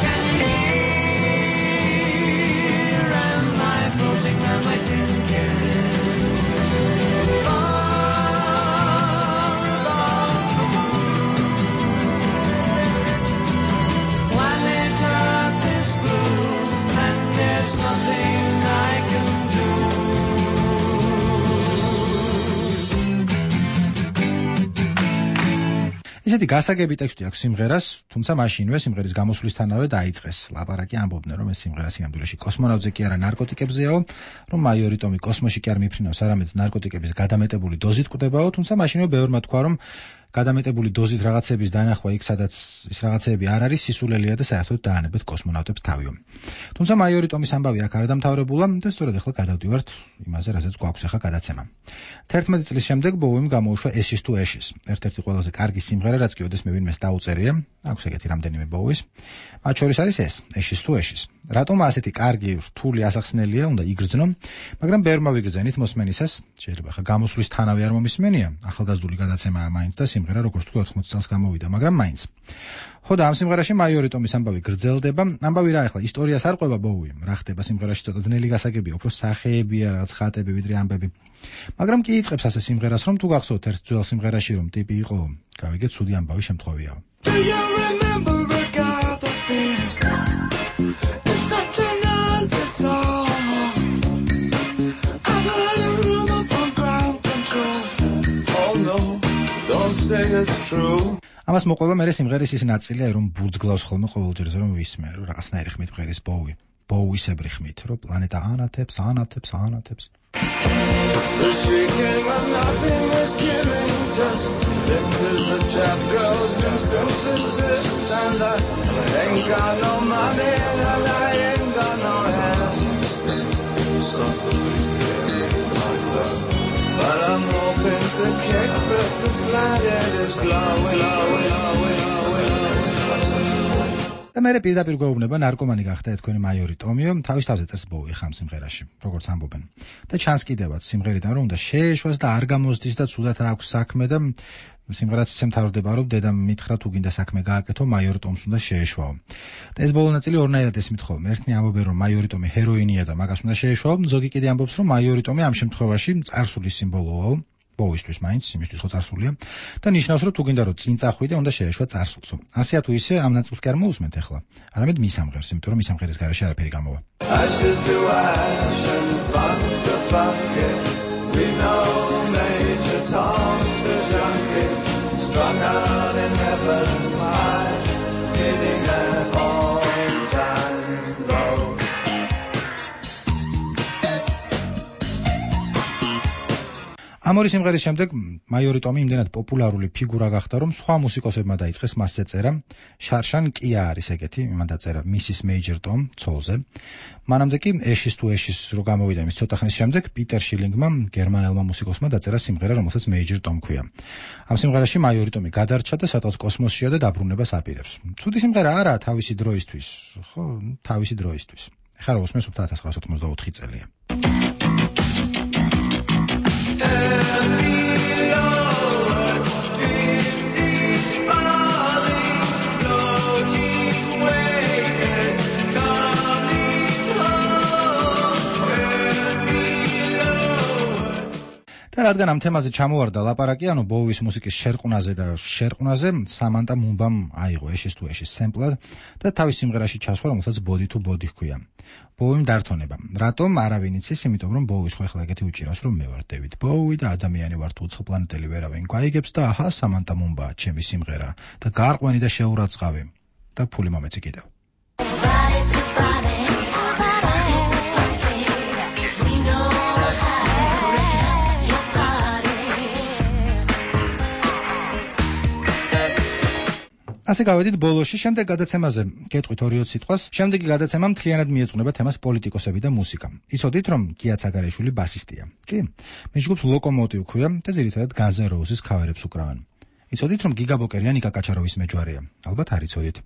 Speaker 22: Can you hear, am I floating on my tin can? Far above the moon.
Speaker 21: ისეთი გასაგები ტექსტი აქვს სიმღერას, თუმცა მაშინვე სიმღერის გამოსვლისთანავე დაიწყეს ლაპარაკი, ამბობდნენ, რომ ეს სიმღერა სინამდვილეში კოსმონავტზე კი არა ნარკოტიკებზეაო, რომ მაიორი ტომი კოსმოსში კი არ მიფრინავს, არამედ ნარკოტიკების გადამეტებული დოზით კვდებაო, თუმცა მაშინვე ბევრმა თქვა, რომ გადამეტებული დოზით რაღაცების დანახვა იქ, სადაც ის რაღაცები არ არის, სისულელია და საერთოდ დაანებეთ კოსმონავტებს თავიო. თუმცა მაიორი ტომის ამბავი აქ არ დამთავრებულა და სწორედ ახლა გადავდივართ იმაზე, რასაც გვაქვს ახლა გადაცემა. 11 წლის შემდეგ ბოუიმ გამოუშვა Ashes to Ashes, ერთ-ერთი ყველაზე კარგი სიმღერა, რაც კი ოდესმე ვინმეს დაუწერია, აქვს ეგეთი რამდენიმე ბოუის. მათ შორის არის ეს, Ashes to Ashes. რატომ ასეთი კარგი, რთული ასახსნელია, უნდა იგრძნო, მაგრამ ბევრმა ვიგრძენით მოსმენისას, შეიძლება ახლა გამოსვლისთანავე არ მომისმენია, ახალგაზრდული გადაცემაა მაინც და სიმღერა როგორც თქვი 80 წელს გამოვიდა, მაგრამ მაინც. ხო და ამ სიმღერაში მაიორი ტომის ამბავი გრძელდება, ამბავი რა ახლა ისტორიას არ ყვება ბოუიმ, რა ხდება სიმღერაში ცოტა ძნელი გასაგებია, უფრო სახეებია, რაღაც ხატები ვიდრე ამბები. მაგრამ კი იწყებს ასე სიმღერას, რომ თუ გახსოვთ ერთ ძველ სიმღერაში რომ ტიპი იყო, გავიგეთ, ცუდი ამბავი შემთხვევია.
Speaker 22: Do you remember a guy that's been in such an ugly song? I got a rumor from ground control. Oh no, don't say it's true.
Speaker 21: ამას მოყვება მე სიმღერის ის ნაწილია, რომ ბურძგლავს ხოლმე ყოველჯერ, რომ ვისმე, რომ რაღაცნაირი ხმით მღერის ბოუი. ბოუისებრი ხმით, რომ პლანეტა ანათებს.
Speaker 22: The shrieking of nothing is killing, just lips as a chap goes and synthesis, and I ain't got no money and I ain't got no hands. Something scary like that, but I'm hoping to kick back this planet is glowing.
Speaker 21: და მე პირდაპირ გვეუბნება ნარკომანი გახდა თქვენი მაიორი ტომიო, თავის თავზე წეს ბოუი ხამ სიმღერაში, როგორც ამბობენ. და ჩანს კიდევაც სიმღერიდან რომ უნდა შეეშვას და არ გამოსდის და ცუდად აქვს საქმე და სიმღერაც ისე მთავრდება, რომ დედამ მითხრა თუ გინდა საქმე გააკეთო, მაიორი ტომს უნდა შეეშვაო. და ეს ბოლო ნაწილი ორნაირად ესმით ხოლმე. ერთნი ამბობენ, რომ მაიორი ტომი ჰეროინია და მაგას უნდა შეეშვაო, ზოგი კიდე ამბობს, რომ მაიორი ტომი ამ შემთხვევაში წარსულის სიმბოლოა. ბოუისთვის მაინც, იმისთვის ხო წარსულია და ნიშნავს, რომ თუ გინდა რომ წინ წახვიდე, უნდა შეეშვა წარსულსო. ასეა თუ ისე ამ ნაწილს კი არ მოусმენთ ახლა. არამედ მის ამღერს, იმიტომ რომ მის ამღერის გარეშე არაფერი გამოვა.
Speaker 22: Ashes to ash and fun to fuck it. We know Major Tom's a junkie, strung out in heaven's high, hitting at all-time low.
Speaker 21: ამორი სიმღერის შემდეგ მაიორი ტომი იმდენად პოპულარული ფიგურა გახდა, რომ სხვა მუსიკოსებმა დაიწყეს მასზე წერა. შარშან კია არის ეგეთი, მან დაწერა Mrs. Major Tom ცოლზე. მანამდე კი Ashes to Ashes რო გამოვიდა იმის ცოტა ხნის შემდეგ, პიტერ შილინგმა, გერმანელმა მუსიკოსმა დაწერა სიმღერა, რომელსაც Major Tom ქვია. ამ სიმღერაში მაიორი ტომი გადარჩა და სადღაც კოსმოსშია და დაბრუნებას აპირებს. ცუდი სიმღერა არაა თავისი დროისთვის, ხო, თავისი დროისთვის. ეხლა რა უსმენს 1984 წელია. და რადგან ამ თემაზე ჩამოვარდა ლაპარაკი, ანუ ბოუის მუსიკის შერყვნაზე და შერყვნაზე, სამანტა მუმბამ აიღო Ashes to Ashes სემპლად და თავის სიმღერაში ჩასვა, რომელსაც Body to Body ჰქვია. ბოუიმ დართონება. რატომ? არავინ იცის, იმიტომ რომ ბოუის ხო ახლა ეგეთი უჭირავს, რომ მე ვარ დევიდ ბოუი და ადამიანი ვარ თუ უცხოპლანეტელი ვერავინ გვაიგებს და აჰა, სამანტა მუმბა, ჩემი სიმღერა და გარყვენი და შეურაცხავი და ფული მომეცი კიდევ. ასე გავედით ბოლოში, შემდეგ გადაცემაზე გეტყვით 2-20 სიტყვას, შემდეგი გადაცემა მთლიანად მიეძღვნება თემას პოლიტიკოსები და მუსიკა. იცოდით, რომ გია ცაგარეიშვილი ბასისტია. კი? მის ჯგუფს ლოკომოტივ ქვია და ძირითადად Guns N' Roses ქავერებს უკრავენ. იცოდით, რომ გიგა ბოკერია ნიკა კაჩაროვის მეჯვარეა? ალბათ არ იცოდით.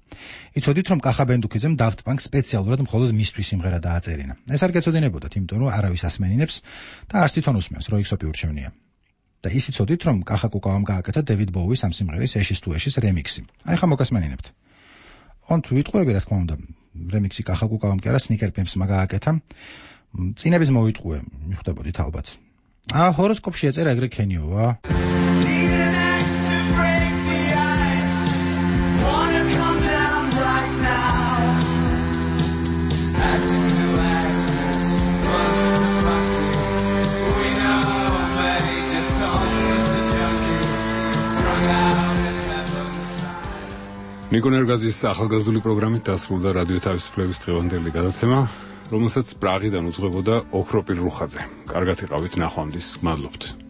Speaker 21: იცოდით, რომ კახა ბენდუქიძემ Daft Punk სპეციალურად მხოლოდ მისთვის სიმღერა დააწერინა. ეს არ გეცოდინებოდათ, იმიტომ რომ არავის ასმენინებს და არც თვითონ უსმენს, რო იქსოპი ურჩევნია. და ის იცოდით, რომ კახა კუკავამ გააკეთა დევიდ ბოუის ამ სიმღერის Ashes to Ashes რემიქსი. აი ხა მოგასმენინებთ. ოღონდ ვიტყვები, რა თქმა უნდა, რემიქსი კახა კუკავამ კი არა, Sneaker Pimps-მა გააკეთა. წინების მოვიტყვე, მიხვდებოდით ალბათ. ჰოროსკოპში ეწერა ეგრე ქენიოვა.
Speaker 1: ნიკო ნერგაძის ახალგაზრდული პროგრამით დასრულდა რადიო თავისუფლების დღევანდელი გადაცემა, რომელსაც პრაღიდან უძღვებოდა ოქროპირ რუხაძე. კარგად იყავით, ნახვამდის, გმადლობთ.